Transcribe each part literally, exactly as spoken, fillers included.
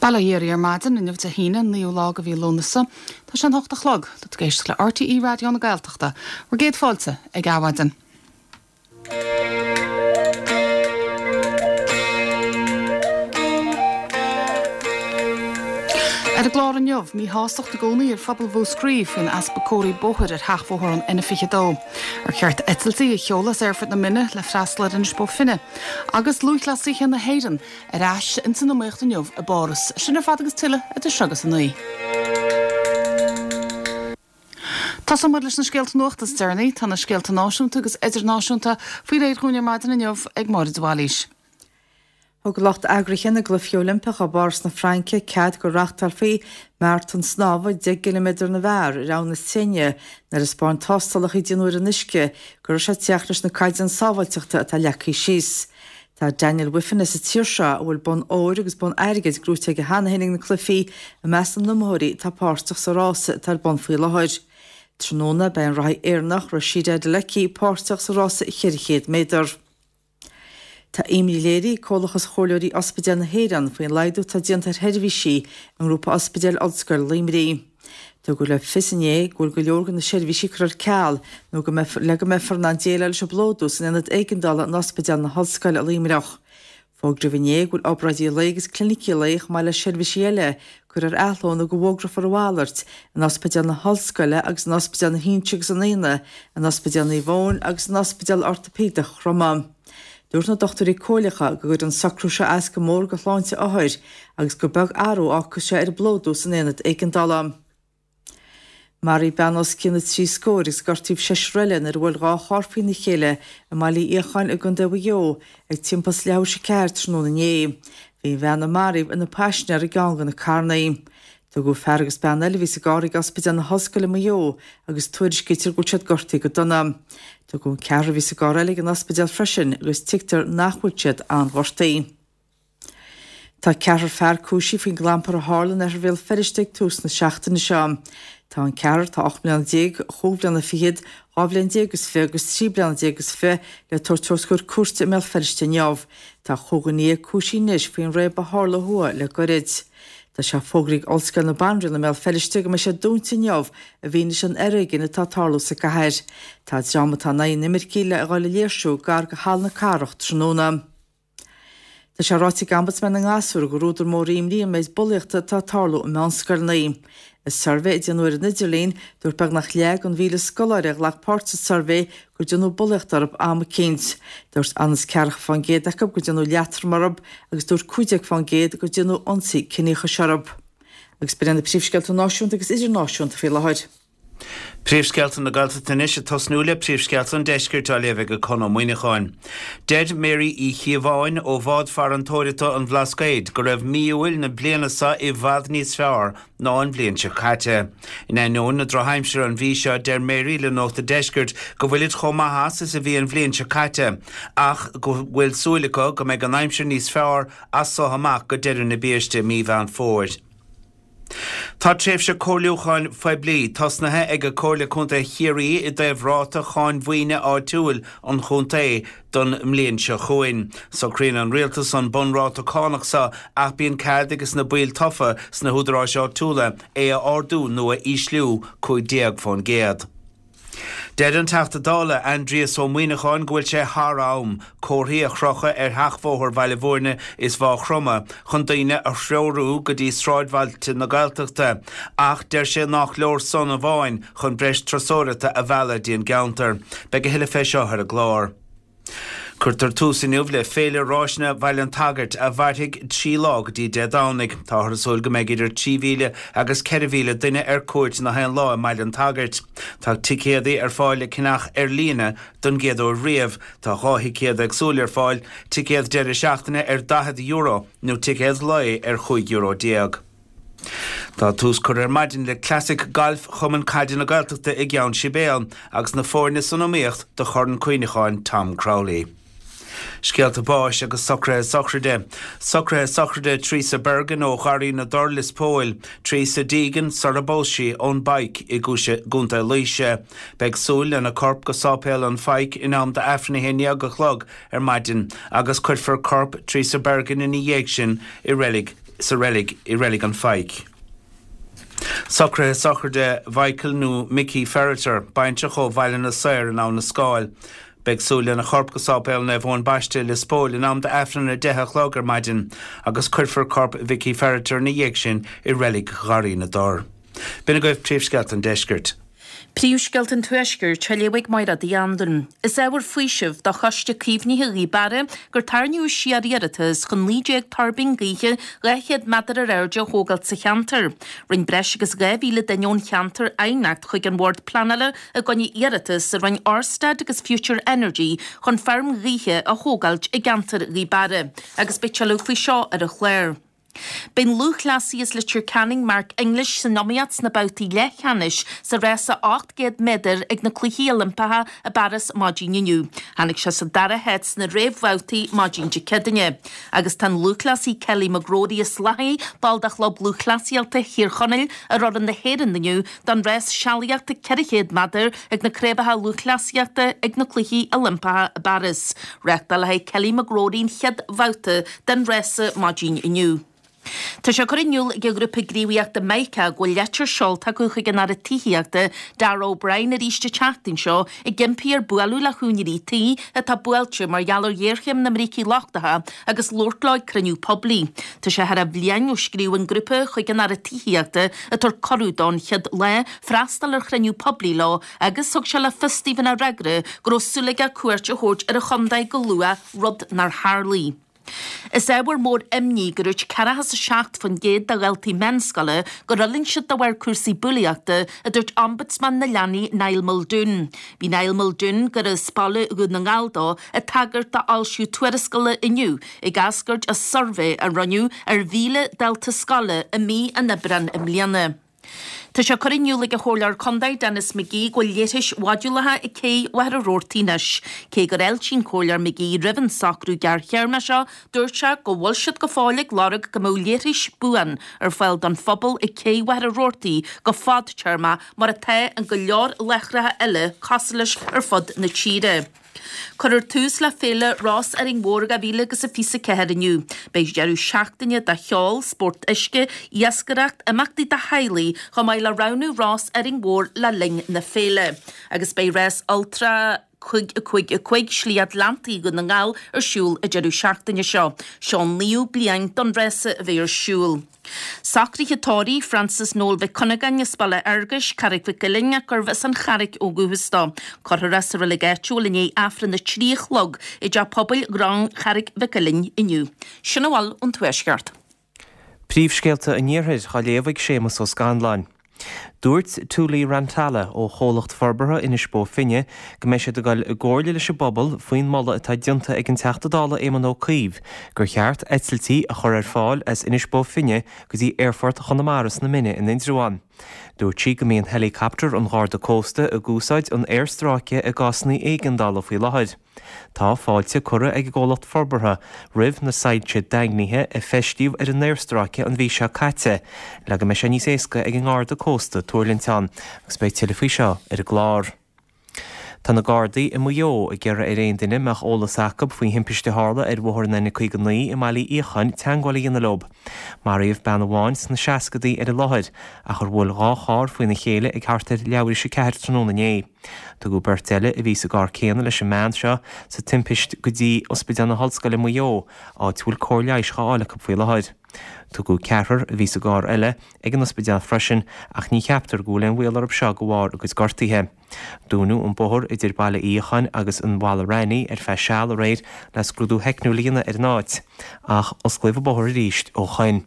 Bail ó Dhia oraibh ar maidin inniu Dé hAoine an naoú lá de mhí Lúnasa. Tá sé an hocht a chlog. Tá tú ag éisteacht le RTÉ Raidió na Gaeltachta. Bhur gcéad fáilte ag Adhmhaidin. Ar an gclár inniu, míshástacht i gcónaí ar phobal Mhúscraí faoin easpa comharthaí bóthair ar sheachbhóthar an N fiche dó. Ar cheart eitiltí a sheoladh as Aerfort na Minne le freastal ar Inis Bó Finne? Agus lúthchleasaithe na hÉireann ar ais ins an iomaíocht inniu i bPáras. Sin ar fad agus tuilleadh idir seo agus a naoi. Tosóidh muid leis na scéalta nuachta is deireanaí. Tá na scéalta náisiúnta agus idirnáisiúnta faoi réir dhúinn ar maidin inniu ag Máire de Bhailís. Thug lucht eagraithe na gCluichí Oilimpeacha i bPáras na Fraince cead go reáchtálfaí maratón snámha deich gciliméadar na bhfear ar Abhainn na Seine nuair a thaispeáin tástálacha a déanadh ar an uisce go raibh sé ag teacht leis na caighdeáin sábháilteachta atá leagtha síos. Tá Daniel Wiffen as an tír seo, a bhfuil bonn óir agus bonn airgid gnóite aige cheana féin ag na cluichí, i measc na n-iomaitheoirí atá páirteach sa rása atá ar bun faoi láthair. Tráthnóna beidh an reathaí Éireannach Rhasidat Adeleke páirteach sa rása cheithre chéad méadar. Tá imní léirithe ag Comhlachas Chomhairleoirí Ospidéal na hÉireann faoin laghdú atá déanta ar sheirbhísí i nGrúpa Ospidéil Ollscoile Luimnigh. Tugadh le fios inné go bhfuil go leor de na seirbhísí curtha ar ceal nó go mbeifear le go mbeifear in ann déileáil leis an bplódú san aonad éigeandála in Ospidéal na hOllscoile i Luimneach. Fógraíodh inné go bhfuil obráidí lae agus clinicí lae chomh maith le seirbhísí eile curtha ar athló nó go bhfógrófar a mhalairt in Ospidéal na hOllscoile agus in Ospidéal na hInse agus an Éanna, in Ospidéal Naomh Eoin agus in Ospidéal Ortaipéideach Chromtha. Dúirt na dochtúirí comhairleacha go gcuireann an socrú seo as go mór do shláinte othair agus gur beag athrú a fhágfas sé ar an bplódú san aonad éigeandála. Maraíodh bean os cionn na trí scór agus gortaíodh seisear eile nuair a bhuail dhá charr faoina chéile i mBaile Uí Fhiacháin i gContae Mhaigh Eo ag timpeall is leathuair tar éis a ceathair tráthnóna inné. Bhí an bhean a maraíodh ina paisinéir i gceann de na carranna. Tugadh fear agus bean eile a bhí sa gcarr ag Ospidéal na hOllscoile Maigh Eo agus tuairiscítear go bhfuil siad gortaithe go dona. Tugadh an ceathrar a bhí sa gcarr eile ag an ospidéal freisin agus tuigtear nach bhfuil siad an-ghortaithe. Tá ceathrar fear cúisithe faoin gclampar a tharla in oirthear Bhéal Feirste ag tús na seachtaine seo. Tá an ceathrar, atá ocht mbliana déag, chúig bhliana fichead, dhá bhliain déag is fiche agus trí bliana déag is fiche le tabhairt os comhair cúirte i mBéal Feirste inniu. Tá chúig dhuine dhéag cúisithe anois faoin raob a tharla thuaidh le goirid. Tá sé fógraithe ag Ollscoil na Banríona i mBéal Feirste go mbeidh sé dúnta inniu i bhfianaise an fhoréigin atá ag tarlú sa gcathair. Tá dream atá in aghaidh na n-imircigh le dhul ag léirsiú gar go Halla na Cathrach tráthnóna. Tá sé ráite ag Ombudsman na nGasúr gur údar mór imní an méid bulaíochta atá ag tarlú i meánscoileanna. I suirbhé a déanadh ar an idirlíon, dúirt beagnach leath den mhíle scoláire a ghlac páirt sa suirbhé gur déanadh bulaíocht orthu am eicínt. Dúirt ionann is ceathracha fán gcéad acu gur déanadh leatrom orthu agus dúirt cúig déag fán gcéad gur déanadh ionsaí ciníochais orthu. Agus b'in iad na príomhscéalta náisiúnta agus idirnáisiúnta faoi láthair. Príomhscéalta na Gaeltachta anois ag tosnú le príomhscéalta an Deiscirt á léamh ag Conn Ó Muíneacháin. Deir Mary Uí Chíobháin ó Bhád Farantóireachta an Bhlascaoid go raibh mí Iúil na bliana seo i bhfad níos fearr ná an bhliain seo caite. In ainneoin na drochaimsire an mhí seo deir Mary le Nuacht an Deiscirt go bhfuilid chomh maith as is a bhí an bhliain seo caite ach go bhfuil súil acu go mbeidh an aimsir níos fearr as so amach go deireadh na biaiste mí Mheán Fómhair. Tá tréimhse comhairliúcháin phoiblí tosnaithe ag Comhairle Contae Chiarraí i dtaobh ráta cháin mhaoine áitiúil an chontae don mbliain seo chugainn. Socraíonn an rialtas an bunráta cánach seo ach bíonn cead ages na baill tofa sna húdaráis áitiúla é a ardú nó a ísliú cúig déag fán gcéad. Deir an Teachta Dála Aindrias Ó Muimhneacháin go bhfuil sé thar am comharthaí a chrochadh ar sheachbhóthar Bhaile Bhúirne is Mhaigh Chromtha chun daoine a threorú go dtí sráidbhailte na Gaeltachta ach deir sé nach leor san amháin chun breis turasóireachta a mhealladh dtí an gceantar. Beidh a thuilleadh fé seo ar an gclár. Cuirtear tús inniu le Féile Ráiseanna Bhaile an tSagairt a mhairfidh trí lá go dtí Dé Domhnaigh. Táthar ag súil go mbeidh idir trí mhíle agus ceithre mhíle duine ar cuairt na haon lá i mBaile an tSagairt. Tá ticéadaí ar fáil le ceannach ar líne don gcéad uair riamh. Tá dhá thicéad éagsúil ar fáil, ticéad deireadh seachtaine ar daichead euro nó ticéad lae ar chúig euro déag. Tá tús curtha ar maidin le Classic Gailf Chumann Caide na Gaeltachta i gCeann Sibéal agus na foirne san iomaíocht do Chorn Cuimhneacháin Tom Crowley. Scéalta báis agus socruithe sochraide. Socruithe sochraide Teresa Bergin ó Gharraí na dTor, Lios Póil. Teresa Deegan, sar a bpós sí, ón bPike i gContae Laoise. Beidh súil lena corp go Sáipéal an Phoic in am d'Aifreann a haon déag a chlog ar maidin agus cuirfear corp Teresa Bergin ina dhiaidh sin i reilig sa reilig i Reilig an Phaidhc. Socruithe sochraide Mhichael nó Mickey Ferriter, baintreach ó Bhaile na Saor in Abha na Scáil. Beidh súil lena chorp go Sáipéal Naomh Eoin Baiste Lios Póil in am d'Aifreann a deich a chlog ar maidin agus cuirfear corp Mhickey Ferriter ina dhiaidh sin i reilig Gharraí na dTor. B'in agaibh príomhscéalta an deiscirt. Príomhscéalta an Tuaiscirt, á léamh ag Máire Uí Anluain. Is ábhar faoisimh do Choiste Caomhnaithe Ghaoth Beara gur tarraingíodh siar iarratas chun naoi déag tuirbín gaoithe dhá chéad méadar ar airde a thógáilt sa cheantar. Rinne breis agus dhá mhíle duine ón cheantar aighneacht chuig an Bhord Pleanála i gcoinne iarratas a rinne Ørsted agus Future Energy chun feirm ghaoithe a thógáilt i gceantar Ghaoth Beara agus beidh tuilleadh faoi seo ar an chlár. Beidh an lúthchleasaí as Leitir Ceanainn Mark English san iomaíocht sna babhtaí leathcheannais sa rása ocht gcéad méadar ag na Cluichí Oilimpeacha i bPáras maidin inniu. Tháinig sé sa dara háit sna réamhbhabhtaí maidin Dé Céadaoine. Agus tá an lúthchleasaí Kelly McGrory as Lathaí, ball de Chlub Lúthchleasaíochta Thír Chonaill, ar fhoireann na hÉireann inniu don rás sealaíochta ceithre chéad méadar ag na Craobhacha Lúthchleasaíochta ag na Cluichí Oilimpeacha i bPáras. Reáchtálfaidh Kelly McGrory an chéad bhabhta den rása maidin inniu. Tá sé curtha in iúl ag an ghrúpa gníomhaíochta Mica go bhfuil leitir seolta acu chuig an Aire Tithíochta Darragh O'Brien arís an tseachtain seo ag impí air bualadh le húinéirí tí atá buailte mar gheall ar ghéarchéim na mbrící lochtacha agus labhairt leo ag cruinniú poiblí. Tá sé thar bhliain ó scríobh an grúpa chuig an Aire Tithíochta ag tabhairt cuireadh dó an chéad lá freastal ar chruinniú poiblí leo agus thug sé le fios dóibh ina fhreagra go raibh súil aige cuairt a thabhairt ar an chontae go luath, rud nár tharlaigh. Is ábhar mór imní gur dúirt ceathracha is a seacht faoin gcéad de dhaltaí meánscoile gur fhulaing siad de bharr cúrsaí bulaíochta, a dúirt Ombudsman na Leanaí Niall Muldoon. Bhí Niall Muldoon, gur as baile Dhún na nGall dó, ag tagairt d'fhoilsiú tuarascála inniu ag eascairt as suirbhé a rinneadh ar mhíle dalta scoile i mí an Aibreáin i mbliana. Tá sé curtha in iúl ag an Chomhairleoir Contae Denis McGee go bhfuil leithris mhodúlacha ag cé Mhachaire Rabhartaigh anois. Cé gur fháiltigh an Comhairleoir McGee roimh an socrú gearrthéarma seo, dúirt sé go bhfuil siad go fóill ag lorg go mbeadh leithris buan ar fáil don phobal ag cé Mhachaire Rabhartaigh go fadtéarmach mar atá in go leor láithreacha eile cosúil leis ar fud na tíre. Cuirfear tús le Féile Rás Árainn Mhór dhá mhíle agus a fiche a ceathair inniu. Beidh deireadh seachtaine de cheol, spórt uisce, iascaireacht, imeachtaí do theaghlaigh, chomh maith le roghnú Rás Árainn Mhór le linn na féile. Agus beidh rás Ultra cúig a cúig a cúig Slí Atlantaigh Dhún na nGall ar siúl an deireadh seachtaine seo. Seo an naoú bliain don rása a bheith ar siúl. Socruithe tórraimh Francis Noel Mhic Cuinneagáin as Baile Fhearguis, Carraig Mhic Uilinn ach gurbh as an Charraic ó dhúchas dó. Cuirfear é sa reilig áitiúil i ndiaidh Aifreann a trí a chlog i dTeach Pobail Ghráin Charraig Mhic Uilinn inniu. Sin a bhfuil ón Tuaisceart. Príomhscéalta an Iarthair á léamh ag Séamus Ó Scanláin. Dúirt Tuuli Rantala ó chomhlacht forbartha Inis Bó Finne go mbeidh siad ag dul i gcomhairle leis an bpobal faoin moladh atá déanta ag an Teachta Dála Éamon Ó Cuív gur cheart eitiltí a chur ar fáil as Inis Bó Finne go dtí Aerfort Chonamara sna Mine in Indreabhán. Dúirt sí go mbíonn heileacaptar an Gharda Cósta ag úsáid an aerstráice i gcásanna éigeandála faoi láthair. Tá fáilte curtha ag an gcomhlacht forbartha roimh na soilse daingnithe a feistíodh ar an aerstráice an mhí seo caite le go mbeidh sé níos éasca ag an nGarda Cósta tuirlingt ann agus beidh tuilleadh faoi seo ar an gclár. Tá na Gardaí i Maigh Eo ag iarraidh ar aon duine a mbeadh eolas acu faoi thimpiste a tharla ar bhóthar an N caoga naoi i mBaile Uí Fhiacháin teagmháil a dhéanamh leo. Maraíodh bean amháin sna seascadaí ar an láthair ach ar bhuail dhá charr faoina chéile ag thart ar leathuair tar éis a ceathair tráthnóna inné. Tugadh beirt eile a bhí sa gcarr céanna leis an mbean seo sa timpist go dtí Ospidéal na hOllscoile Maigh Eo, áit a bhfuil cóir leighis á fháil acu faoi láthair. Tugadh ceathrar a bhí sa gcarr eile ag an ospidéal freisin ach ní cheaptar go bhfuil aon bhaol orthu seo de bharr a gcuid gortuithe. Dúnadh an bóthar idir Baile Uí Fhiacháin agus an Mhala Raithní ar feadh seal aréir le scrúdú teicniúil a dhéanamh ar an áit, ach osclaíodh an bóthar arís ó shoin.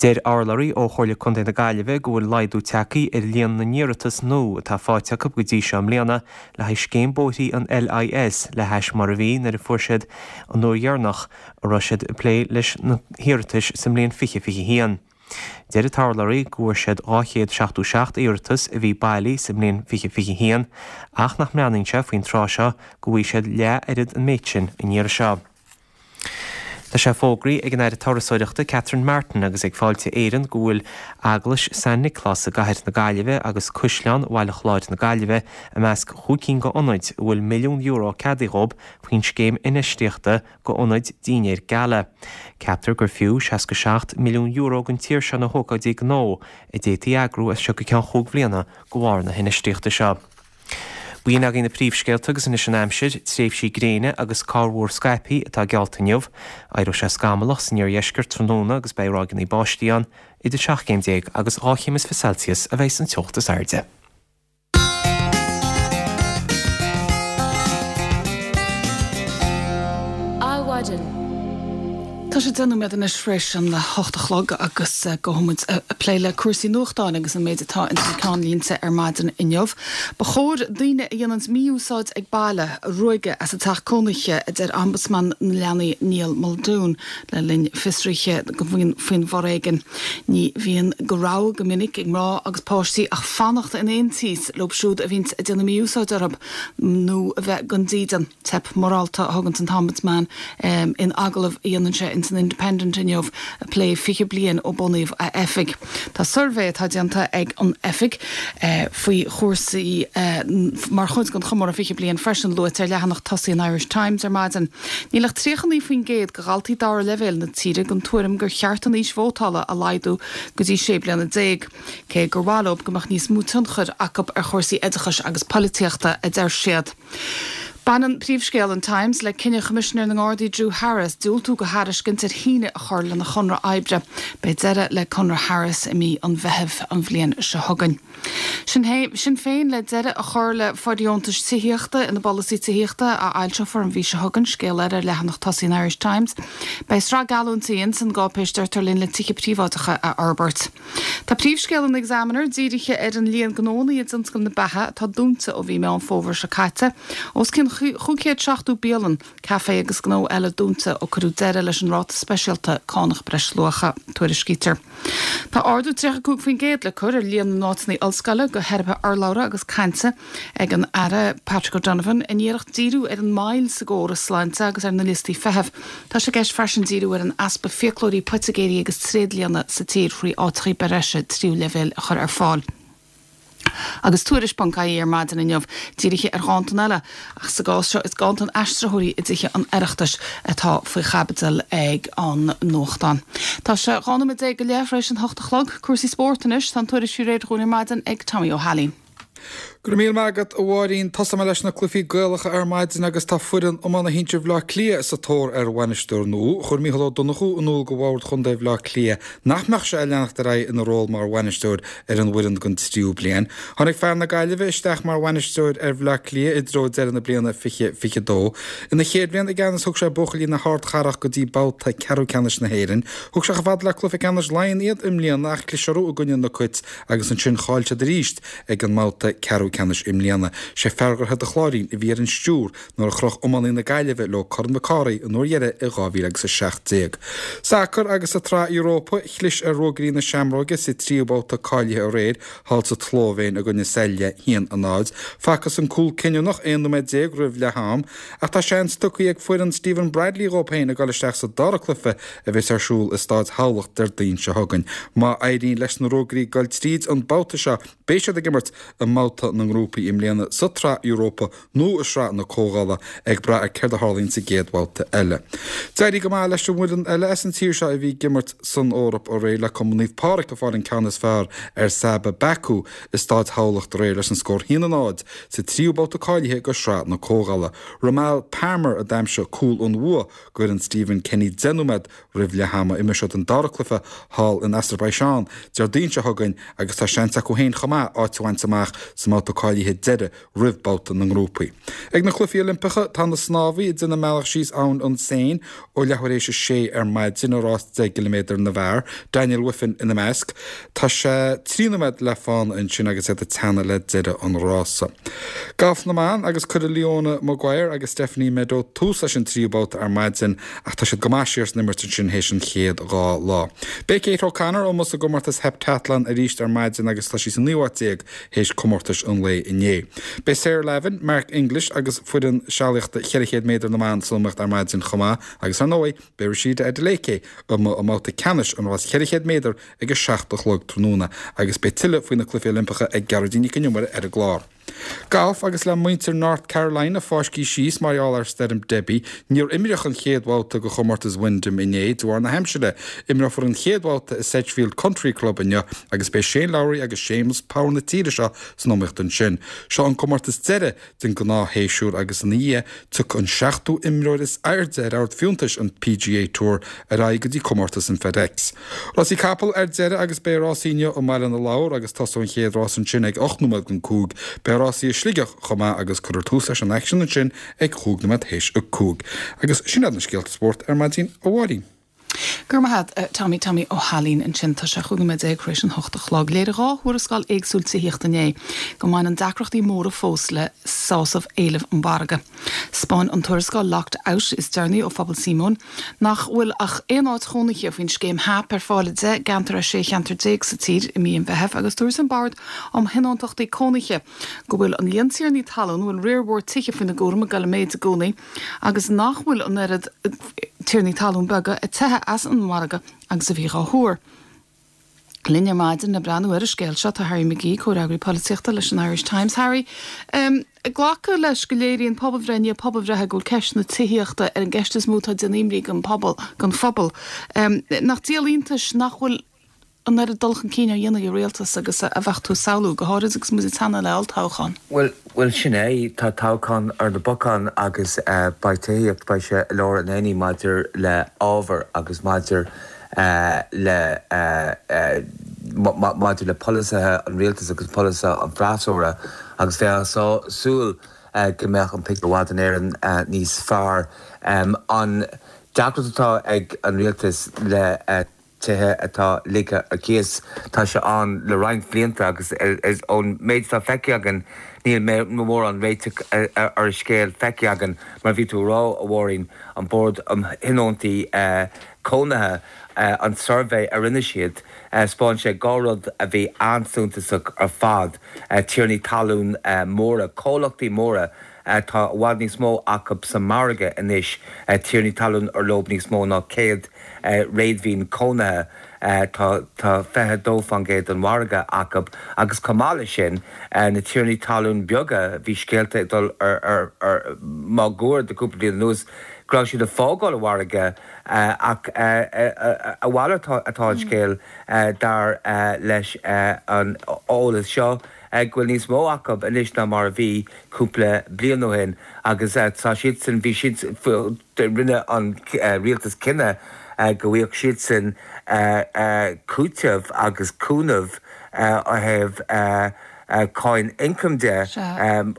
Deir urlabhraí ó Chomhairle Contae na Gaillimhe go bhfuil laghdú tagtha ar líon na n-iarratas nua atá faighte acu go dtí seo i mbliana le haghaidh scéim bóithrí an L I S le hais mar a bhí nuair a fuair siad an uair dheireanach a raibh siad ag plé leis na hiarratais sa mbliain fiche fiche a haon. Deir an t-urlabhraí go bhfuair siad dhá chéad seachtó seacht iarratas a bhí bailí sa mbliain fiche fiche a haon ach nach mbreathnaíonn sé faoin tráth seo go bhfaighidh siad leath oiread an méid sin an iarraidh seo. Tá sé fógraithe ag an Aire Turasóireachta Catherine Martin agus ag Fáilte Éireann go bhfuil Eaglais San Nioclás i gcathair na Gaillimhe agus Caisleán Bhaile Chláir na Gaillimhe i measc chúig cinn d'ionaid a bhfuil milliún euro ceadaithe dhóibh faoin scéim infheistíochta d'ionaid dinnéir gala. Ceaptar gur fiú seasca seacht milliún euro don tír seo na hócáidí gnó a d'fhéadfaí a eagrú as seo go ceann chúig bhliana de bharr na hinfheistíochta seo. B'in agaibh na príomhscéalta agus anois an aimsir, tréimhsí gréine agus corrmhúr scaipthe atá geallta inniu. Éireoidh sé scamallach san iardheisceart tráthnóna agus beidh ráigeanna báistí ann, idir seacht gcéim déag agus dhá chéim is fiche Celsius a bheidh an teocht is airde. Adhmhaidin. Tá sé deich nóiméad anois tar éis an hocht a chlog agus gabhfaidh muid ag plé le cúrsaí nuachtáin agus an méid atá ins na ceannlínte ar maidin inniu. Ba chóir daoine a dhéananns mí-úsáid ag baile a ruaigeadh as a dteach cónaithe, a deir Ombudsman na Leanaí Niall Muldoon le linn fiosraithe faoin bhforéigean. Ní bhíonn de rogha go minic ag mná agus páistí ach fanacht in aontíos leo siúd a bhíonns ag déanamh mí-úsáid orthu nó a bheith gan dídean. Teip mhorálta a thuganns an tOmbudsman in agallamh a dhéanann sé in san Independent inniu ag plé fiche bliain ó bunaíodh a oifig. Tá suirbhé atá déanta ag an oifig faoi chúrsaí mar chuid den chomóradh fiche bliain freisin luaite ar leathanach tosaigh an Irish Times ar maidin. Níl ach tríocha naoi faoin gcéad de dhaltaí dara leibhéal na tíre den tuairim gur cheart an aois vótála a laghdú go dtí sé bliana déag, cé gur mhaith leo go mbeadh níos mó tionchair acu ar chúrsaí oideachais agus polaitíochta, a deir siad. Baineann príomhscéal an Times le cinneadh Choimisinéir na nGardaí Drew Harris diúltú do thairiscint ar shíneadh a chur lena chonradh oibre. Beidh deireadh le conradh Harris i mí an Mheithimh an bhliain seo chugainn. Sinn Féin le deireadh a chur le fóirdheontais tithíochta ina bpolasaí tithíochta a fhoilseofar an mhí seo chugainn, scéal eile ar leathanach tosaigh an Irish Times. Beidh sraith geallúintí ins an gcáipéis deirtear linn le tithe príobháideacha a fhorbairt. Tá príomhscéal an Examiner dírithe ar an líon gnónna i dtionscal na beatha atá dúnta ó mhí Meán Fómhair seo caite. Os cionn chúig chéad seachtó bialann, caifé agus gnó eile dúnta ó cuireadh deireadh leis an ráta speisialta cánach breisluacha, tuairiscítear. Tá ardú tríocha cúig faoin gcéad le cur ar líon na n-áiteanna ollscoile do theiripithe urlabhra agus cainte ag an Aire Patrick O'Donovan in iarracht díriú ar an moill sa gcóras sláinte agus ar na liostaí feithimh. Tá sé i gceist freisin díriú ar an easpa fiaclóirí, poitigéirí agus tréidlianna sa tír thrí áiteacha breise tríú leibhéal a chur ar fáil. Agus Tuairisc ponc ie ar maidin inniu dírithe ar ghanntan eile, ach sa gcás seo is ganntan aistritheoirí i dTithe an Oireachtais atá faoi chaibidil ag an nuachtán. Tá sé dhá nóiméad déag go leith tar éis an hocht a chlog. Cúrsaí spóirt anois, tá an tuairisc faoi réir dhúinn ar maidin ag Tommy Ó hAilín. Go raibh míle maith agat, a Mháirín. Tosóidh mé leis na cluichí Gaelacha ar maidin agus tá foireann iomána shinsir Bhaile Átha Cliath sa tóir ar bhainisteoir nua. Chuir Mícheál Ó Donnchú in iúl do bhord chontae Bhaile Átha Cliath nach mbeadh sé ag leanacht ar aghaidh ina ról mar bhainisteoir ar an bhfoireann don tríú bliain. Tháinig fear na Gaillimhe isteach mar bhainisteoir ar Bhaile Átha Cliath i dtreo deireadh na bliana fiche fiche dó. Ina chéad bhliain i gceannas thug sé buachaillí na hardchathrach go dtí babhta ceathrú ceannais na hÉireann. Thug sé chomh fada le cluiche ceannais Laighean iad i mbliana ach chlis orthu i gcoinne na Cait agus ansin chaill siad arís ag an mbabhta ceathrú ceannais i mbliana. Sé fear Dhroichead an Chláirín a bhí ar an stiúr nuair a chroch iománaí na Gaillimhe leo Corn Mhic Cárthaigh an uair dheiridh i dhá mhíle agus a seacht déag. Sacar agus sa tSraith Europa, chlis ar Ruagairí na Seamróige sa tríú babhta cáilithe aréir thall sa tSlóivéin i gcoinne Celje, a haon a náid. Facthas an cúl cinniúnach aon nóiméad déag roimh leath am ach tá seans tugtha ag foireann Stephen Bradley dhóibh féin ag dul isteach sa dara cluiche a bheas ar siúl i Staid Thamhlacht Déardaoin seo chugainn. Má éiríonn leis na Ruagairí dul tríd an babhta seo, Beidh siad ag imirt i mbabhta na ngrúpaí i mbliana sa tSraith Europa nó i Sraith na Comhdhála, ag brath ar céard a tharlaíonn sa gcéad bhabhta eile. D'éirigh go maith leis an bhfoireann eile as an tír seo a bhí ag imirt san Eoraip aréir, le Cumann Naomh Pádraig ag fáil an ceann is fearr ar Sabah Baku i Staid Thamhlacht aréir leis an scór a haon a náid sa tríú babhta cáilithe go Sraith na Comhdhála. Romal Palmer a d'aimsigh cúl an bhua d'fhoireann Stephen Kenny deich nóiméad roimh leath ama. Imreoidh siad an dara cluiche thall in Asarbaiseán Déardaoin seo chugainn agus tá seans acu féin chomh maith áit a bhaint amach sa mbabhta cáilithe deiridh roimh babhta na ngrúpaí. Ag na Cluichí Oilimpeacha, tá na snámhaithe ag déanamh a mbealach síos abhainn an Seine ó leathuair éis a sé ar maidin i rás deich gciliméadar na bhfear, Daniel Wiffen ina measc. Tá sé trí nóiméad le fána ansin agus iad ag teannadh le deireadh an rása. Galf na mban agus cuirfidh Leona Maguire agus Stephanie Meadow tús leis an tríú babhta ar maidin ach tá siad go maith siar san imirt ansin théis an chéad dhá lá. Beidh Kate O'Connor amuigh sa gcomórtas heptathlon arís ar maidin agus tá sí sa naoú háit déag théis comórtais an lae. lae inné. Beidh Sarah Lavin, Mark English agus foireann sealaíochta ceithre chéad méadar na mban san iomaíocht ar maidin chomh maith agus ar ndóigh beidh Rhasidat Adeleke i mbabhta ceannais an rás ceithre chéad méadar ag a seacht a chlog tráthnóna agus beidh tuilleadh faoi na Cluichí Oilimpeacha ag Gearóidín Nic an Iomaire ar an gclár. Galf agus le muintir North Carolina fáiscthe síos mar gheall ar Stoirm Debbie, níor imríodh an chéad bhabhta de chomórtas Wyndham inné de bharr na haimsire. Imreofar an chéad bhabhta i Sedgefield Country Club inniu agus beidh Shane Lowry agus Séamus Power na tíre seo san iomaíocht ansin. Seo an comórtas deiridh den ghnáthshéasúr agus ina dhiaidh tiocfaidh an seachtú imreoir is airde ar ord fiúntais an PGA Tour ar aghaidh go dtí comórtas an FedEx. Rásaí capall ar deireadh agus beidh rásaí inniu i mBaile na Lobhar agus tosóidh an chéad rás ansin ag ocht nóiméad don cúig. Beidh rásaí i Sligeach chomh maith agus cuirfear tús leis an aicsean ansin ag chúig nóiméad théis a cúig. Agus sin iad na scéalta spóirt ar maidin, a Mháirín. Go raibh maith agat, Tommy Tommy Ó hAilín ansin tá sé chúig nóiméad déag tar éis an hocht a chlog. Léirigh dhá thuarascáil éagsúil tithíochta inné go mbaineann deacrachtaí móra fós le sásamh éileamh an mhargaidh. 'Spáin an tuarascáil Locked Out is deireanaí ó Phobal Síomóin nach bhfuil ach aon áit chónaithe faoin scéim HAP ar fáil i deich gceantar as sé cheantar déag sa tír i mí an Mheithimh agus dúirt an Bord um Thionóntachtaí Cónaithe go bhfuil an líon tiarnaí talún a bhfuil riar mhór tithe faoina gcúram ag dul i méid i gcónaí agus nach bhfuil an oiread tiarnaí talún beaga ag teitheadh as an margadh agus a bhí á thuar. Linn ar maidin le breathnú ar an scéal seo tá Harry McGee, comhfhreagraí polaitíochta leis an Irish Times. Harry, um, glacadh leis go léiríonn pobalbhreith i ndiaidh pobalbhreithe go bhfuil ceist na tithíochta ar an gceist is mó atá ag déanamh imní don phobal don phobal. Um, nach díol iontais nach bhfuil an oiread dul chun cinn á dhéanamh ag an rialtas agus a bheadh tú ag samhlú go háirid agus muid ag teannadh le olltoghchán. Well, well sin é tá toghchán ar na bacáin agus uh, beidh tithíocht beidh sé i lár an aonaigh maidir le ábhar agus maidir uh, le uh, uh, maidir le polasaithe an rialtas agus polasaithe an fhreasúra agus bheifeá ag súil uh, go mbeadh an pictiúr i bhfad in Éirinn uh, níos fearr. Um, an deacracht atá ag an rialtas le uh, tithe atá ligthe ar cíos tá sé ann le roinnt blianta agus ón méid atá feicthe againn níl mórán réiteach ar an scéal feicthe againn mar bhí tú ag rá a Mháirín an Bord um Thionóntaí Cónaithe an suirbhé a rinne siad 'spáin sé dhá rud a bhí an-suntasach ar fad tiarnaí talún móra comhlachtaí móra tá i bhfad níos mó acu sa margadh anois tiarnaí talún ar leo níos mó ná céad réadmhaoin cónaithe tá tá fiche dó faoin gcéad den mhargadh acu agus chomh maith leis sin na tiarnaí talún beaga bhí scéalta ag dul ar ar ar máguaird de cúpla bliain anuas go raibh siad ag fágáil an mhargaidh ach a mhalairt atá an scéal dar leis an eolas seo go bhfuil níos mó acu anois ná mar a bhí cúpla bliain ó shin agus tá siad sin bhí siad rinne an rialtas cinneadh go bhfaigheadh siad sin cúiteamh agus cúnamh ó thaobh cáin ioncaim de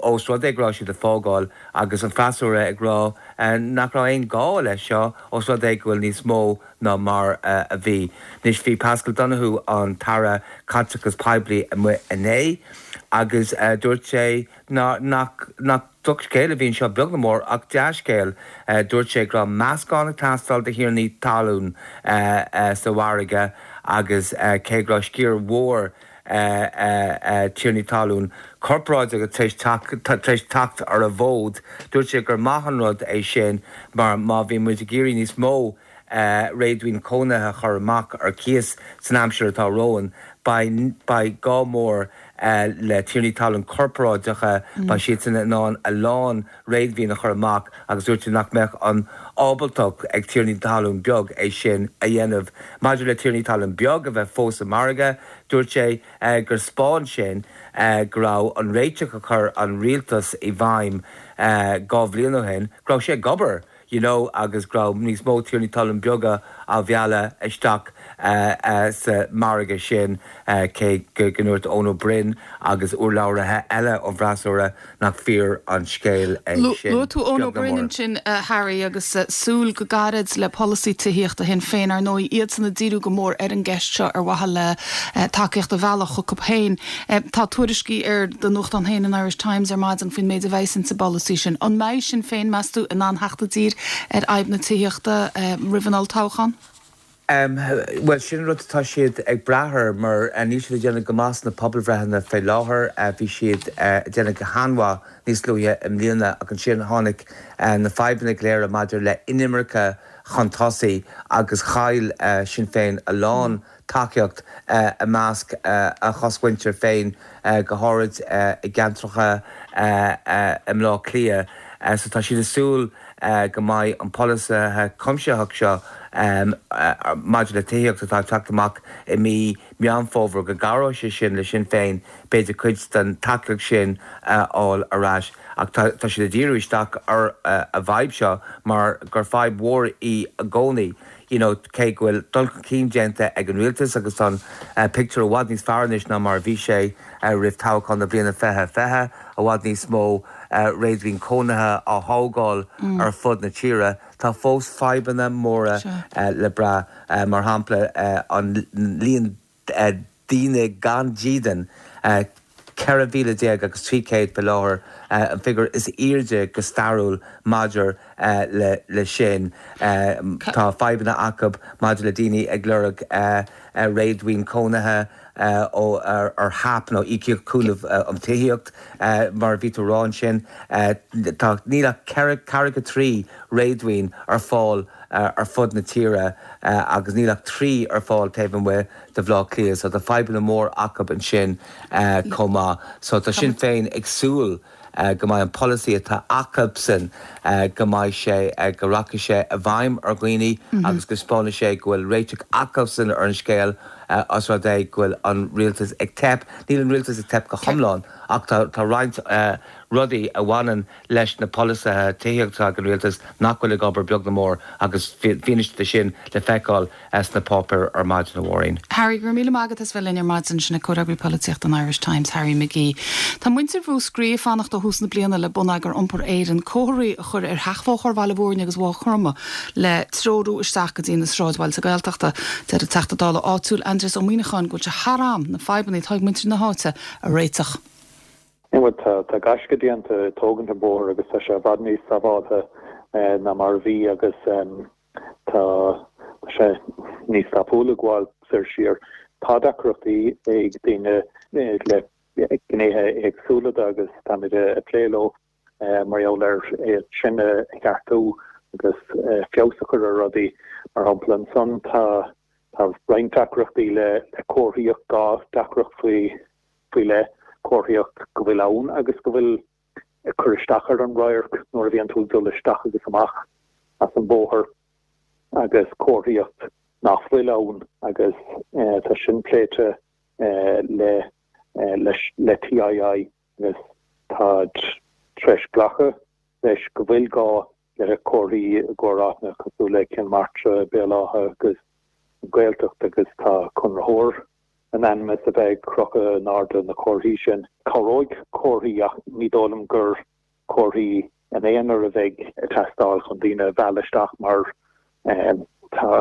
ós rud é go raibh siad ag fágáil agus an freasúra ag rá nach raibh aon gá leis seo ós rud é go bhfuil níos mó ná mar a bhí. Anois bhí Paschal Donohoe an tAire Caiteachais Poiblí amuigh inné agus dúirt sé nach nach drochscéal a bhí anseo beag ná mór ach dea-scéal dúirt sé go raibh meascán ag teastáil de thiarnaí talún sa mhargadh agus cé go raibh sciar mhór tiarnaí talún corparáideacha tar éis teacht ar an bhfód, dúirt sé gur maith an rud é sin mar má bhí muid ag iarraidh níos mó réadmhaoin cónaithe a chur amach ar cíos san aimsir atá romhainn, beidh gá mór le tiarnaí talún corparáideacha, beidh siadsan in ann a lán réadmhaoin a chur amach agus dúirt sé nach mbeadh an ábaltacht ag tiarnaí talún beag é sin a dhéanamh. Maidir le tiarnaí talún beag a bheith fós sa margadh, dúirt sé gur 'spáin sin go raibh an réiteach a chuir an rialtas i bhfeidhm dhá bhliain ó shin, go raibh sé ag obair. you know agus go raibh níos mó tiarnaí talún beaga á mhealladh isteach sa margadh sin cé go ndúirt Eoin Ó Broin agus urlabhraithe eile ón bhfreasúra nach fíor an scéal é sin. Luaigh tú Eoin Ó Broin ansin Harry agus súil go gairid le polasaí tithíochta Shinn Féin ar ndóigh iadsan ag díriú go mór ar an gceist seo ar mhaithe le tacaíocht a mhealladh chucu féin. Tá tuairiscí ar do nuachtán féin an Irish Times ar maidin faoin méid a bheas insa bpolasaí sin. An mbeidh Sinn Féin meas tú in ann theacht i dtír ar fhadhb na tithíochta roimh an olltoghchán? Bhuel, sin an rud atá siad ag brath air mar níl siad ag déanamh go maith sna pobalbhreitheanna fé láthair. Bhí siad ag déanamh go han-mhaith níos luaithe i mbliana ach ansin tháinig na fadhbanna go léir maidir le inimirce chun tosaigh agus chaill Sinn Féin a lán tacaíocht i measc a chosmhuintir féin, go háirid i gceantracha i mBleá Cliath. So tá siad ag súil go mbeidh an polasaithe cuimsitheach seo maidir le tithíocht atá ag teacht amach i mí Meán Fómhair, go gcabhróidh sé sin le Sinn Féin b'fhéidir cuid den tacaíocht sin a fháil ar ais. Ach tá siad ag díriú isteach ar an bhfadhb seo mar gur fadhb mhór í i gcónaí. You know, cé go bhfuil dul chun cinn déanta ag an rialtas agus tá an pictiúr i bhfad níos fearr anois ná mar a bhí sé roimh toghchán na bliana fiche fiche, i bhfad níos mó réadmhaoin cónaithe á thógáil ar fud na tíre, tá fós fadhbanna móra le brath, mar shampla an líon daoine gan dídean, ceithre mhíle déag agus trí chéad faoi láthair, an figiúr is airde go stairiúil maidir le sin. Tá fadhbanna acu maidir le daoine ag lorg réadmhaoin cónaithe ó ar HAP nó Íocaíocht Cúnaimh um Tithíocht, mar a bhí tú a rá ansin. Tá, níl ach ceithre ceathracha trí réadmhaoin ar fáil ar fud na tíre agus níl ach trí ar fáil taobh amuigh de Bhaile Átha Cliath so tá fadhbanna mór acu ansin chomh maith. So tá Sinn Féin ag súil go mbeidh an polasaí atá acusan go mbeidh sé, go rachaidh sé i bhfeidhm ar dhaoine agus go spáinfidh sé go bhfuil réiteach acusan ar an scéal os rud é go bhfuil an rialtas ag teip. Níl an rialtas ag teip go hiomlán ach tá roinnt rudaí a bhaineann leis na polasaithe tithíochta ag an rialtas nach bhfuil ag obair beag ná mór agus fianaise de sin le feiceáil sna páipéir ar maidin, a Mháirín. Harry, go raibh míle maith agat as bheith linn ar maidin. Sin é Comhfhreagraí Polaitíochta an Irish Times, Harry McGee. Tá muintir Mhúscraí ag fanacht ó thús na bliana le Bonneagar Iompair Éireann comharthaí a chur ar sheachbhóthar Bhaile Mhúirne agus Mhaigh Chromtha le treorú isteach go dtí na sráidbhailte Gaeltachta. Deir an Teachta Dála áitiúil Aindrias Ó Muimhneacháin go bhfuil sé thar am na fadhbanna atá ag muintir na háite a réiteach. Bhuel, tá gaisce déanta ag tógaint an bóthar agus tá sé i bhfad níos sábháilte ná mar a bhí agus tá sé níos tapúla gabháil soir siar. Tá deacrachtaí ag daoine le gnéithe éagsúla de agus táimid ag plé leo mar gheall ar iad sin a cheartú agus feabhas a chur ar rudaí. Mar shampla ansan tá roinnt deacrachtaí le comharthaíocht, dhá deacracht faoi faoi leith, comharthaíocht go bhfuil ann agus go bhfuil ag cur isteach ar an radharc nuair a bhíonn tú ag dul isteach agus amach as an bóthar agus comharthaíocht nach bhfuil ann agus tá sin pléite le leis le TII agus táid tar éis glacadh leis go bhfuil gá le comharthaí i gcomhair áiteanna cosúil le Cill Martra, Béal Átha agus an Ghaeltacht agus tá conraitheoir in ainm is a bheith ag crochadh in airde na comharthaí sin. Cabhróidh comharthaí ach ní dóigh liom gur comharthaí in aonar a bheidh ag teastáil chun daoine a mhealladh isteach mar tá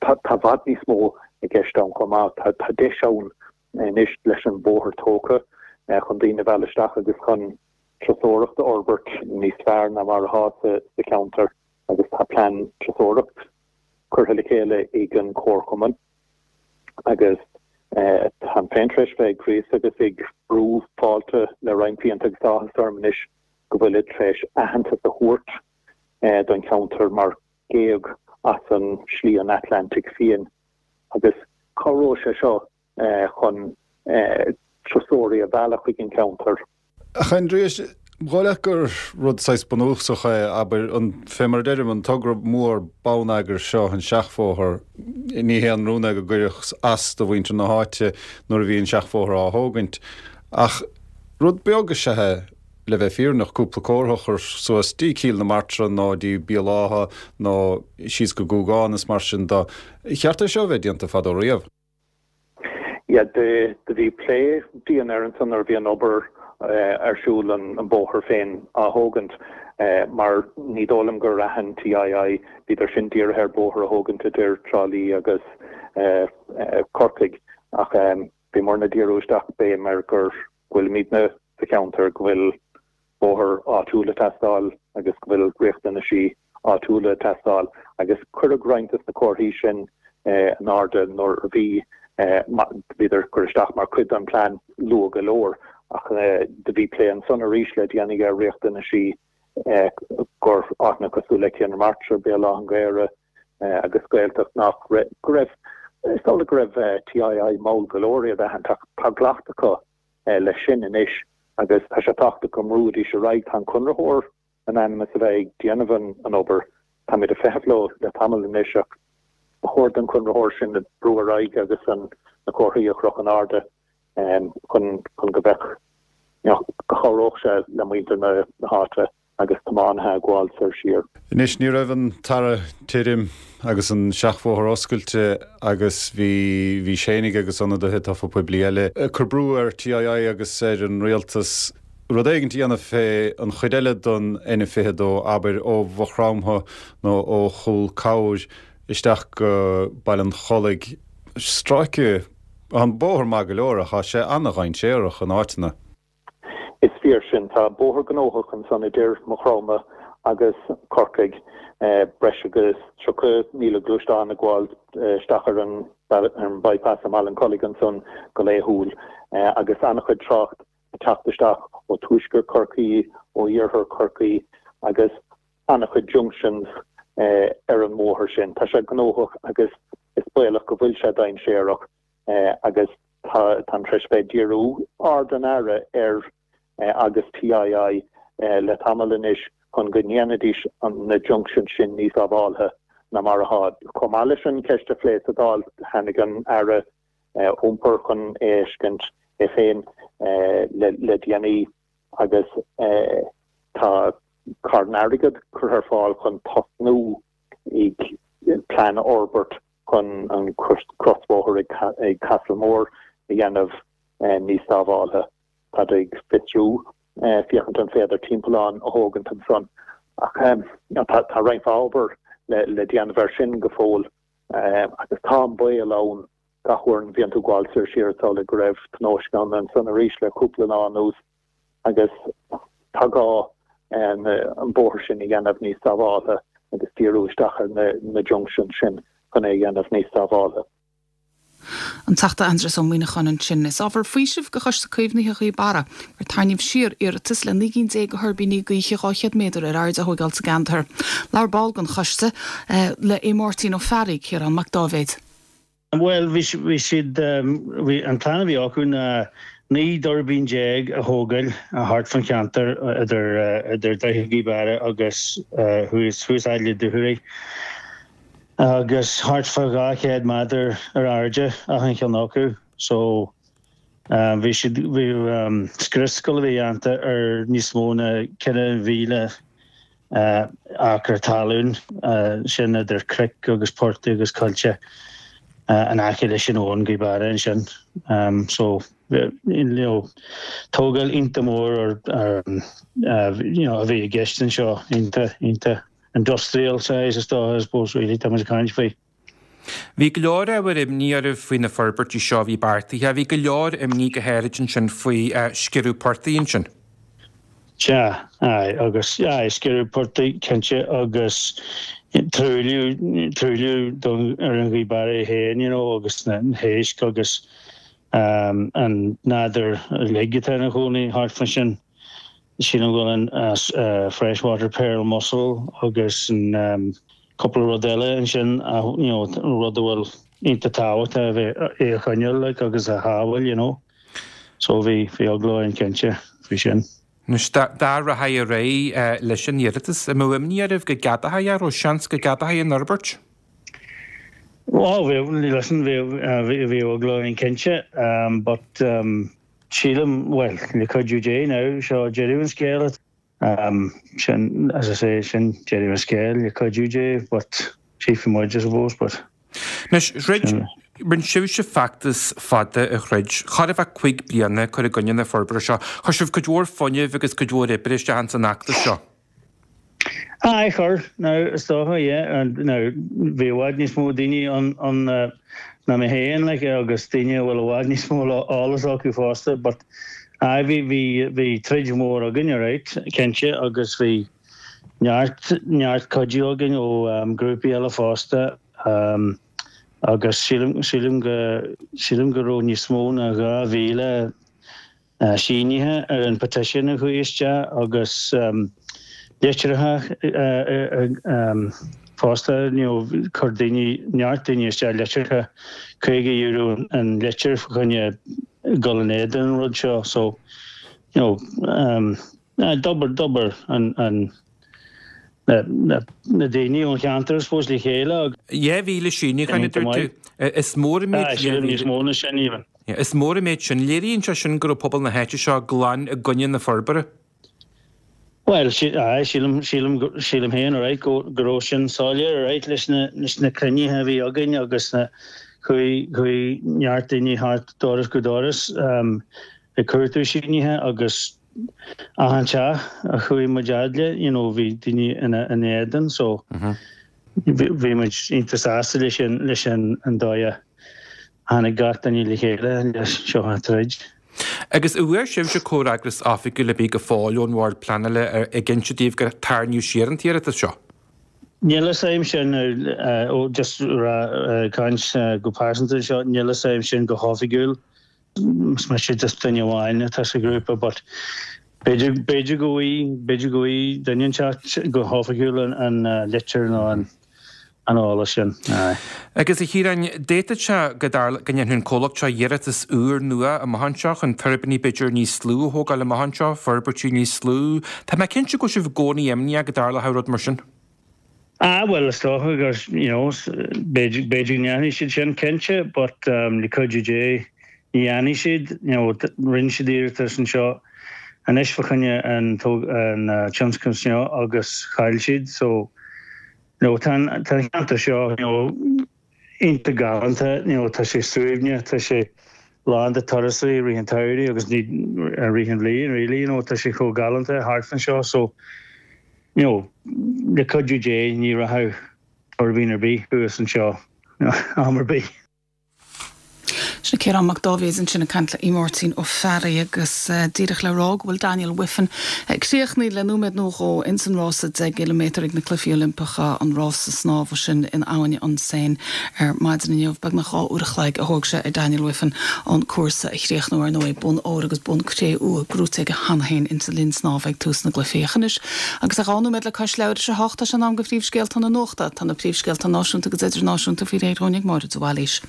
tá i bhfad níos mó i gceist ann chomh maith. Tá deis ann anois leis an bóthar tógtha chun daoine a mhealladh isteach agus chun turasóireacht a fhorbairt níos fearr ná mar atá sa cheantar agus tá plean turasóireacht curtha le chéile ag an Chomharchumann agus táim féin tar éis bheith ag gríosadh agus ag brú fáilte le roinnt blianta agus tá áthas orm anois go bhfuilid tar éis aitheantas a thabhairt don cheantar mar ghéag as an Slí an Atlantaigh Fiáin agus cabhróidh sé seo chun turasóirí a mhealladh chuig an cheantar. Ach Aindrias, an dóigh leat gur rud saghas bunúsach é, abair, an, fé mar a deirim, an togra mór bonneagair seo, an seachbhóthar, ní haon rún é go gcuirfeadh as do mhuintir na háite nuair a bhí an seachbhóthar á thógaint. Ach rud beag is ea é, le bheith fírinneach, cúpla comhartha a chur suas dtí Cill na Martra nó dtí Béal Átha nó síos go Gúgán is mar sin de. Cheart é seo a bheith déanta fadó riamh. Yeah, do bhí plé dian air ansan nuair a bhí an obair ar siúl, an bóthar féin á thógaint, mar ní dóigh liom gur aithin TII, bhíodar sin dírithe ar bóthar a thógaint idir Trá Lí agus Corcaigh, ach bhíomarna ag díriú isteach béim ar gur go bhfuilimidne sa cheantar, go bhfuil bóthar áitiúil ag teastáil agus go bhfuil riachtanaisí áitiúla ag teastáil agus cuireadh roinnt de na comharthaí sin in airde nuair a bhí bhíodar ag cur isteach mar chuid den plean luath go leor ach do bhí plé ansan arís le déanaí ar riachtanaisí gur áiteanna cosúil le Cill na Martra, Béal Átha an Ghaorthaidh agus Gaeltacht nach go raibh is dóigh go raibh TII mall go leor iad a aithint ach tá glactha acu leis sin anois agus tá sé tábhachtach go mbrúfaidís ar aghaidh. Tá an conraitheoir in ainm is a bheith ag déanamh an obair, táimid ag feitheamh leo le tamall anois ach ba chóir don chonraitheoir sin brú ar aghaidh agus an na comharthaí a chrochadh in airde chun chun go mbeadh go gcabhródh sé le muintir na háite agus tiománaithe ag gabháil soir siar. Anois, ní raibh an t-earrach tirim agus an seachbhóthar oscailte agus bhí bhí fhéinig agus ionadaithe tofa poiblí eile ag cur brú ar TII agus ar an rialtas rud éigin a dhéanamh fé an chuid eile don N fiche dó, abair, ó Mhaigh Chromtha nó ó Chúl Camhair isteach go Baile an Chollaigh. Stráice, an bóthar maith go leor ach tá sé ana-dhainséarach in áiteanna. Is fíor sin. Tá bóthar gnóthach ansan idir Maigh Chromtha agus Corcaigh, breis agus tríocha míle gluaisteán ag gabháil isteach ar an bypass i mBaile an Chollaigh ansan go laethúil agus an-chuid trácht ag teacht isteach ó tuaisceart Chorcaí, ó iarthar Chorcaí agus an-chuid junctions ar an mbóthar sin. Tá sé gnóthach agus is baolach go bhfuil sé dainséarach agus tá táim tar éis bheith ag díriú aird an Aire air agus TII le tamall anois chun go ndéanfaidís na junctions sin níos sábháltha ná mar atá. Chomh maith leis an cheist a phlé sa Dáil, tháinig an Aire Iompair chun é a fheiscint é féin le déanaí agus tá carn airgid curtha ar fáil chun tosnú ag plean a fhorbairt chun an crosbhóthar ag Castlemore a dhéanamh níos sábháltha. Táid ag fiosrú féachaint an féidir timpeallán a thógaint ansan ach tá roinnt mhaith obair le déanamh air sin go fóill agus tá an baol ann gach uair a bhíonn tú ag gabháil soir siar is amhlaidh go raibh tionóisc ann ansan arís le cúpla lá anuas agus tá gá an bóthar sin a dhéanamh níos sábháltha agus díriú isteach ar na junctions sin chun é a dhéanamh níos sábháltha. An Teachta Aindrias Ó Muimhneacháin ansin. Is ábhar faoisimh do Choiste Caomhnaithe Ghaoth Beara gur tarraingíodh siar iarratas le naoi gcinn déag de thuirbíní gaoithe dhá chéad méadar ar airde a thóigeáil sa gceantar. Labhair ball den choiste le Aodh Máirtín Ó Fearraigh, Ciarán Mac Dáibhéid. Bhuel, bhí bhí siad, bhí an plean a bhí acu ná naoi dtuirbín déag a thógáil thart fan cheantar idir idir Droichead Ghaoth Beara agus thuas thuas fhad le Dúchoraidh agus thart fá dhá chéad méadar ar airde achan cheann acu. So bhí siad bhí scrios ag dul a bheith déanta ar níos mó ná ceithre mhíle acra talún, sin idir cnoic agus portaigh agus coillte in aice leis an abhainn Gaoth Beara ansin. So you know tógáil iontach mór ar you know a bhí i gceist anseo, iontach iontach industrial size is dócha I suppose really tá muid ag caint faoi. Bhí go leor ábhar imní oraibh faoi na forbairtí seo a bhí beartaithe. Bhí go leor imní go háirid ansin faoi sciorradh portaigh ansin. Sea, aye, agus, aye, sciorradh portaigh, cinnte, agus truailliú, truailliú don, ar an Ghaoth Beara é féin, you know, agus na héisc agus um, an nádúr uilig atá ina chónaí thart fá sin. Sílim go bhfuil an uh, freshwater pearl mussel agus an um, cúpla rud eile ansin, you know, rud a bhfuil iontach tábhachtach a bheith é a choinneáil like, agus a shábháil, you know. So bhí bhí eagla orainn cinnte faoi sin. Anois, dá rachfaí ar aghaidh leis an iarratas, an mbeadh imní oraibh go gceadófaí, an raibh seans go gceadófaí an fhorbairt? Ó, bhí, listen, bhí, bhí eagla orainn cinnte, um, but um, sílim, well, le cuidiú Dé now, seo deireadh an scéil. Um, sin, as I say, sin deireadh an scéil, le cuidiú Dé, but tchífidh muid, I suppose, but. Anois, throid, rinne sibhse feachtas fada a throid, chóir a bheith cúig bliana ag cur i gcoinne na forbartha seo. Chuir sibh cuid mhór fuinnimh agus cuid mhór oibre isteach ins an fheachtas seo. Aye, chuir, now, is dócha, yeah, and now, bhí i bhfad níos mó daoine ann ann ná mé féin, like, agus daoine a bhfuil i bhfad níos mó eolas acu fosta, but aye, bhí, bhí, bhí troid mhór againn, alright, cinnte, agus bhí neart, neart cuidiú againn ó um, grúpaí eile fosta, um, Agus sílim, sílim go, sílim go raibh níos mó ná dhá mhíle sínithe ar an petition a chuaigh isteach agus litreacha fosta, you know, chuir daoine, neart daoine isteach litreacha, caoga euro an litir fá choinne dul in éadan an rud seo so, you know, d'obair, d'obair an, an, na, na, na daoine ón cheantar, I suppose, le chéile agus. Dhá mhíle síniúchán, a dúirt tú. Is mór an méid Sílim níos mó ná sin even. Is mór an méid sin. Léiríonn sé sin go raibh pobal na háite seo glan i gcoinne na forbartha. Bhuel, aye, sílim, sílim, sílim féin, alright, go, go raibh sin soiléir, alright, leis na, leis na cruinnithe a bhí againn agus na, chuaigh, chuaigh neart daoine thart doras go doras um, ag cuartú sínithe agus achan teach a chuaigh muid fhad le, you know, bhí daoine ina, ina éadan, so bhí, bhí muid iontach sásta leis an, leis an, an dóigh a tháinig gach duine le chéile leis seo a throid. Agus an bhfuair sibhse comhfhreagras oifigiúil ar bith go fóill ón Bhord Pleanála ag inse daoibh gur tarraingíodh siar an t-iarratas seo? Níl a fhios agam sin, ó just ag caint go pearsanta anseo, níl a fhios agam sin go hoifigiúil. Is mise just duine amháin atá sa ghrúpa but b'fhéidir, b'fhéidir go bhfaighidh, b'fhéidir go bhfaighidh duine inteacht go hoifigiúil an litir nó an an eolas sin. Aye. Agus a Chiaráin, d'fhéadfadh sé go dtarl, go ndéanfadh an comhlacht seo iarratas úr nua amach anseo chun tuirbíní b'fhéidir níos lú a thógáil amach anseo, forbairtí níos lú. Tá mé cinnte go bhfuil sibh i gcónaí imníoch go dtarlódh rud mar sin. Ah, bhuel, is dócha gur, you know, b'fhéidir, b'fhéidir go ndéanfaidh siad sin, cinnte, but um, le cuidiú Dé, ní dhéanfaidh siad, you know, rinne siad iarratas anseo anois fá choinne an, an uh, tionscnamh seo agus chaill siad, so You know, tá an ceantar seo, you know, iontach galánta, you know, tá sé suaimhneach, tá sé lán de turasóirí i rith an tsamhraidh agus ní i rith an bhliain, really, you know, tá sé chomh galánta thart fan seo, so, you know, le cuidiú Dé ní rachaidh tuirbín ar bith thuas anseo, you know, am ar bith. Sin Ciarán Mac Dáibhéid ansin ag caint le Máirtín Ó Fearraigh agus díreach le rá go bhfuil Daniel Wiffen críochnaithe le nóiméad nó dhó ins an rása deich gciliméadar ag na Cluichí Oilimpeacha, an rása snámha sin in abhainn an Seine ar maidin inniu. Beagnach dhá uair a chloig a thóg sé ar Daniel Wiffen an cúrsa a chríochnú ar ndóigh, bonn óir agus bonn cré-umha gnóthaithe aige cheana féin insa linn snámha ag tús na gcluichí. Ach anois agus é dhá nóiméad le cois leathuair tar éis a hocht tá sé in am do phríomhscéalta na nuachta. Tá na príomhscéalta náisiúnta agus idirnáisiúnta faoi réir dhúinn ag Máire de Bhailís.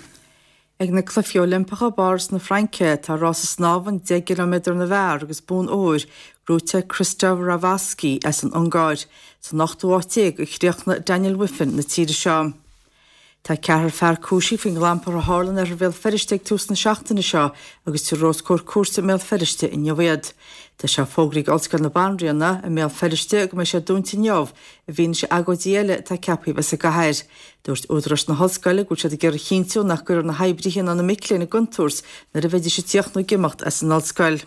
Ag na Cluichí Oilimpeacha i bPáras na Fraince, tá rása snámha an deich gciliméadar na bhfear agus bonn óir gnóthaithe ag Kristóf Ravaszky as an Ungáir. San ochtú háit déag a chríochnaigh Daniel Wiffen na tíre seo. Tá ceathrar fear cúisithe faoin gclampar a tharla in oirthear Bhéal Feirste ag tús na seachtaine seo agus tabharfar os comhair cúirte i mBéal Feirste inniu iad. Tá sé fógraithe ag Ollscoil na Banríona i mBéal Feirste go mbeidh sé dúnta inniu i bhfianaise agóidí eile atá ceaptha a bheith sa gcathair. Dúirt údaráis na hollscoile go bhfuil siad ag iarraidh a chinntiú nach gcuirfear na hoibrithe ná na mic léinn i gcontúirt nuair a bheidís ag tíocht nó ag imeacht as an ollscoil.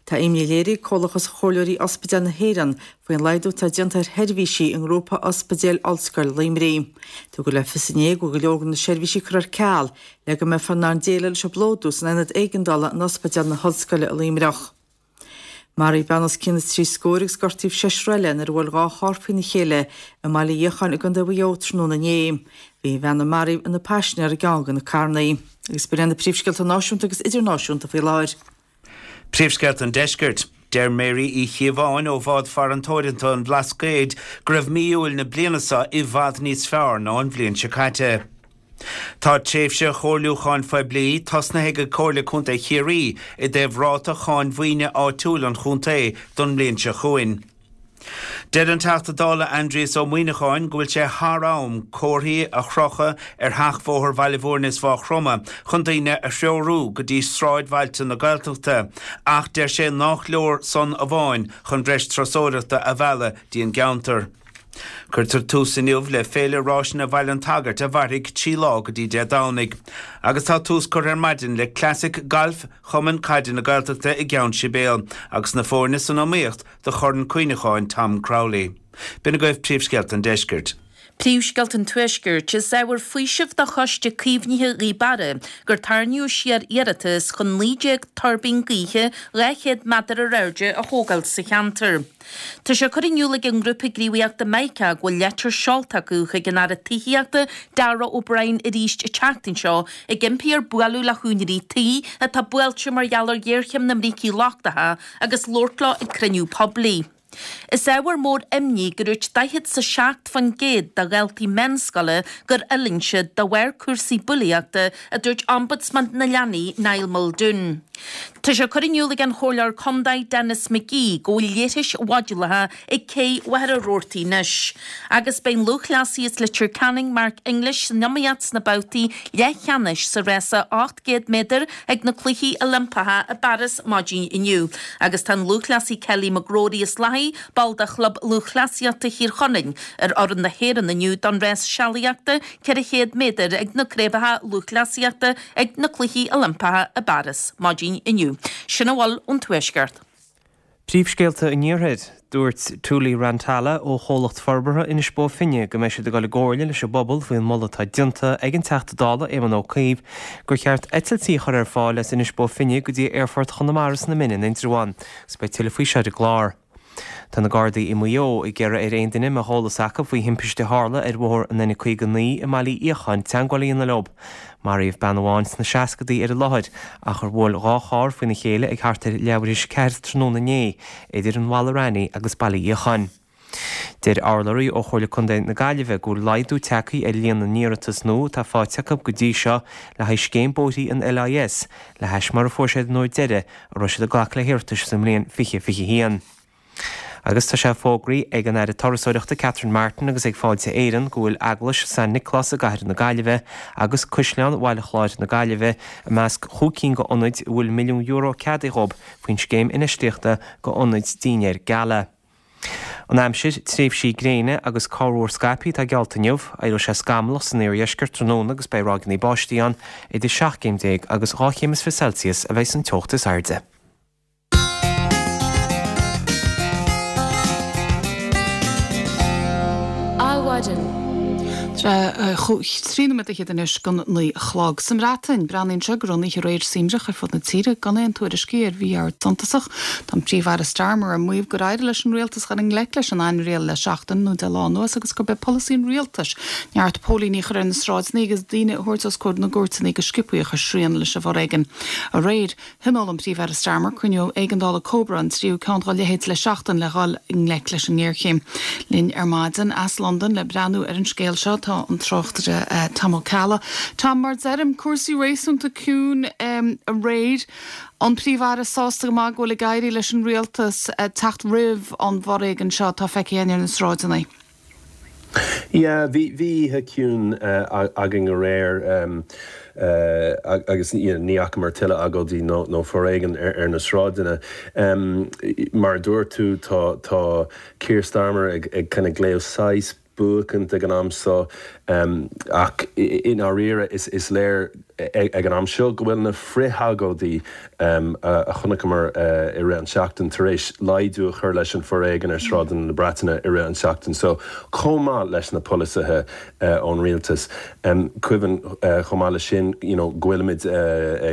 Tá imní léirithe ag Comhlachas Chomhairleoirí Ospidéal na hÉireann faoin laghdú atá déanta ar sheirbhísí i nGrúpa Ospidéal Ollscoil Luimnigh. Tugadh le fios inné go bhfuil go leor de na seirbhísí curtha ar ceal le go mbeifear in ann déileáil leis an bplódú san aonad éigeandála in Ospidéal na hOllscoile i Luimneach. Maraíodh bean os cionn na trí scór agus gortaíodh seisear eile nuair a bhuail dhá charr faoina chéile i mBaile Fhiacháin i gContae Mhaigh Eo tráthnóna inné. Bhí an bhean a maraíodh ina paisinéir i gceann de na carranna. Agus b'in iad na príomhscéalta náisiúnta agus idirnáisiúnta faoi láthair. Príomhscéalta an Deiscirt. Deir Mary Uí Chíobháin ó Bhád Farantóireachta an Bhlascaoid go raibh mí Iúil na bliana seo i bhfad níos fearr ná an bhliain seo caite. Tá tréimhse chomhairliúcháin phoiblí tosnaithe ag Comhairle Contae Chiarraí i dtaobh ráta cháin mhaoine áitiúil an chontae don mbliain seo chugainn. Deir an Teachta Dála Aindrias Ó Muimhneacháin go bhfuil sé thar am comharthaí a chrochadh ar sheachbhóthar Bhaile Bhúirne is Mhaigh Chromtha chun daoine a threorú go dtí sráidbhailte na Gaeltachta ach deir sé nách leor san amháin chun breis turasóireachta a mhealladh dtí an gceantar. Cuirtear tús inniu le Féile Ráiseanna Bhaile an tSagairt a mhairfidh trí lá go dtí Dé Domhnaigh. Agus tá tús curtha ar maidin le Classic Gailf Chumann Caide na Gaeltachta i gCeann Sibéal agus na foirne san iomaíocht do Chorn Cuimhneacháin Tom Crowley. B'in agaibh príomhscéalta an deiscirt. Príomhscéalta an Tuaiscirt, Is ábhar faoisimh do Choiste Caomhnaithe Ghaoth Beara gur tarraingíodh siar iarratas chun naoi déag tuirbín gaoithe dhá chéad méadar ar airde a thógáil sa cheantar. Tá sé curtha in iúl ag an ngrúpa gníomhaíochta Mica go bhfuil leitir seolta acu chuig an Aire Tithíochta Darragh O'Brien arís an tseachtain seo ag impí air bualadh le húinéirí tí atá buailte mar gheall ar ghéarchéim na mbrící lochtacha agus labhairt leo ag cruinniú poiblí. Is ábhar mór imní go ndúirt daichead 's a seacht faoin gcéad de dhaltaí meánscoile gur fhulaing siad de bharr cúrsaí bulaíochta, a dúirt Ombudsman na Leanaí, Niall Muldoon. Tá sé curtha in iúl ag an Chomhairleoir Contae Denis McGee go bhfuil leithris mhodulacha ag cé Mhachaire Rabhartaigh anois. Agus beidh an lúthchleasaí as Leitir Ceanainn Mark English san iomaíocht sna babhtaí leathcheannais sa rása ocht gcéad méadar ag na Cluichí Oilimpeacha i bPáras maidin inniu. Agus tá an lúthchleasaí Kelly McGrory as Lathaí, ball de Chlub Lúthchleasaíochta Thír Chonaill, ar fhoireann na hÉireann inniu don rás sealaíochta ceithre chéad méadar ag na Craobhacha Lúthchleasaíochta ag na Cluichí Oilimpeacha i bPáras maidin inniu. Sin a bhfuil ón Tuaisceart. Príomhscéalta an Iarthair. Dúirt Tuuli Rantala ó Chomhlacht Forbartha Inis Bó Finne go mbeidh siad ag dul i gcomhairle leis an bpobal faoin moladh atá déanta ag an Teachta Dála Éamon Ó Cuív gur cheart eitiltí a chur ar fáil as Inis Bó Finne go dtí Aerfort Chonamara sna Mine in Indreabhán agus beidh tuilleadh faoi seo ar an gclár. Tá na Gardaí i Maigh Eo ag iarraidh ar aon duine a mbeadh eolas acu faoi thimpiste a tharla ar bhóthar an N caoga naoi i mBaile Uí Fhiacháin teagmháil a dhéanamh leo. Maraíodh bean amháin sna seascadaí ar an láthair ach ar bhuail dhá charr faoina chéile ag thart ar leathuair théis a ceathair tráthnóna inné idir an Mhala Raithní agus Baile Uí Fhiacháin. Deir urlabhraí ó Chomhairle Contae na Gaillimhe go bhfuil laghdú tagtha ar líon na n-iarratas nua atá faighte acu go dtí seo le haghaidh scéim bóithrí an L I S le hais mar a fuair siad an uair deiridh a raibh siad ag glacadh le hiarratais sa mbliain fiche fiche haon. Agus tá sé fógraithe ag an Aire Turasóireachta Catherine Martin agus ag Fáilte Éireann go bhfuil Eaglais San Nioclás i gCathair na Gaillimhe agus Caisleán Bhaile Chláir na Gaillimhe i measc chúig cinn de ionaid a bhfuil milliún euro ceadaithe dhóibh faoin scéim infheistíochta go ionaid dinnéir gala. An aimsir, tréimhsí gréine agus corrmhúr scaipthe atá geallta inniu. Éireoidh sé scamallach san iardheisceart tráthnóna agus beidh ráigeanna báistí ann. Idir seacht gcéim déag agus dhá chéim is fiche Celsius a bheidh an teocht is airde. Adhmhaidin. Trí nóiméad fhichead anois don naoi a chlog. Sa mBreatain, breathnaíonn sé go raibh an oíche aréir suaimhneach ar fud na tíre, gan aon tuairiscí ar mhí-ord suntasach. Tá an Príomh-Aire Starmer ag maíomh gur éirigh leis an rialtas dhul i ngleic leis an ainriail le seachtain nó deich lá anuas agus gurb é polasaí an rialtais neart póilíní a chur ar na sráideanna agus daoine a thabhairt os comhair na gcúirteanna go sciobthaí a chur srian leis an bhforéigean. Aréir, Thionóil an Príomh-Aire Starmer cruinniú éigeandála Cobra, an tríú ceann dá leithéid le seachtain, le dhul i ngleic leis an ngéarchéim. Linn ar maidin as Londain le breathnú ar an scéal seo tá an tráchtaire Tom Ó Ceallaigh. Tom, mar deirim, cúrsaí réasúnta ciúin aréir. An Príomh-Aire sásta go maith go bhfuil ag éirí leis an rialtas teacht roimh an bhforéigean seo atá feicthe againn ar na sráideanna? Yeah, bhí bhí oíche ciúin againn aréir agus you know ní fhacamar tuilleadh agóidí nó nó foréigean ar ar na sráideanna. Mar a dúirt tú tá tá Keir Starmer ag ag kind of glaoch saghas buachaint ag an am seo ach i ndáiríre is is léir ag an am seo go bhfuil na frith-agóidí a chonaiceamar i rith an tseachtain tar éis laghdú a chur leis an foréigean ar sráideanna na Breataine i rith an tseachtain seo chomh maith leis na polasaithe ón rialtas. Cuimhin chomh maith leis sin you know go bhfuilimid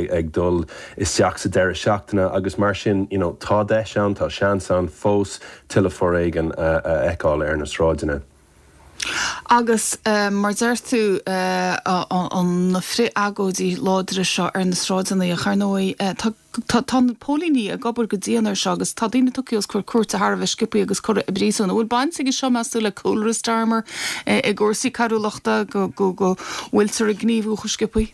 ag dul isteach sa deireadh seachtaine agus mar sin you know tá deis ann, tá seans ann fós tuilleadh foréigean a fheiceáil ar na sráideanna. Agus mar deir tú, na frith-agóidí láidre seo ar na sráideanna, ach ar ndóigh tá na póilíní ag obair go dian air seo agus tá daoine tugtha os comhair cúirte thar a bheith sciobthaí agus curtha i bpríosún. An bhfuil baint aige seo, meas tú, le cúlra Starmer i gcúrsaí coiriúlachta, go bhfuiltear ag gníomhú chomh sciobthaí?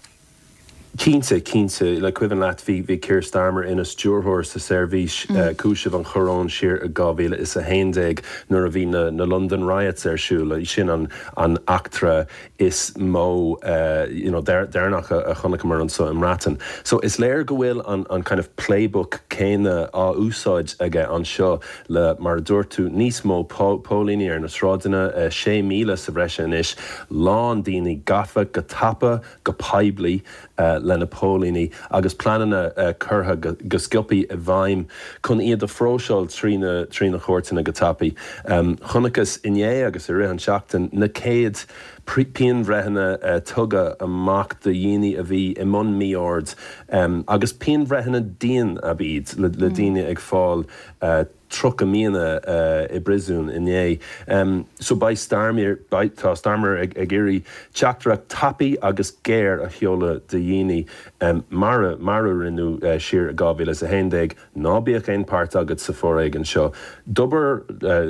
Cinnte, cinnte. Le cuimhin leat, bhí bhí Keir Starmer ina stiúrthóir sa seirbhís cúisimh an Choróin siar i dhá mhíle is a haon déag nuair a bhí na na London Riots ar siúl. Sin an an eachtra is mó you know deireanach a chonaiceamar anseo i mBreatain. So is léir go bhfuil an an kind of playbook céanna á úsáid aige anseo le, mar a dúirt tú, níos mó póilíní ar na sráideanna, sé míle sa bhreis anois, lán daoine gafa go tapa, go poiblí le na póilíní agus pleananna curtha go sciobtha i bhfeidhm chun iad a phróiseáil trí na trí na cúirteanna go tapaidh. Chonacthas inné agus i rith an tseachtain na céad pianbhreitheanna tugtha amach do dhaoine a bhí i mbun mí-oird agus pianbhreitheanna dian ab iad le daoine ag fáil tríocha míonna i bpríosún inné. So beidh Starmer, beidh, tá Starmer ag ag iarraidh teachtaireacht tapaidh agus géar a sheoladh do dhaoine mar a mar a rinneadh siar i dhá mhíle is a haon déag, ná bíodh aon páirt agat sa foréigean seo. D'obair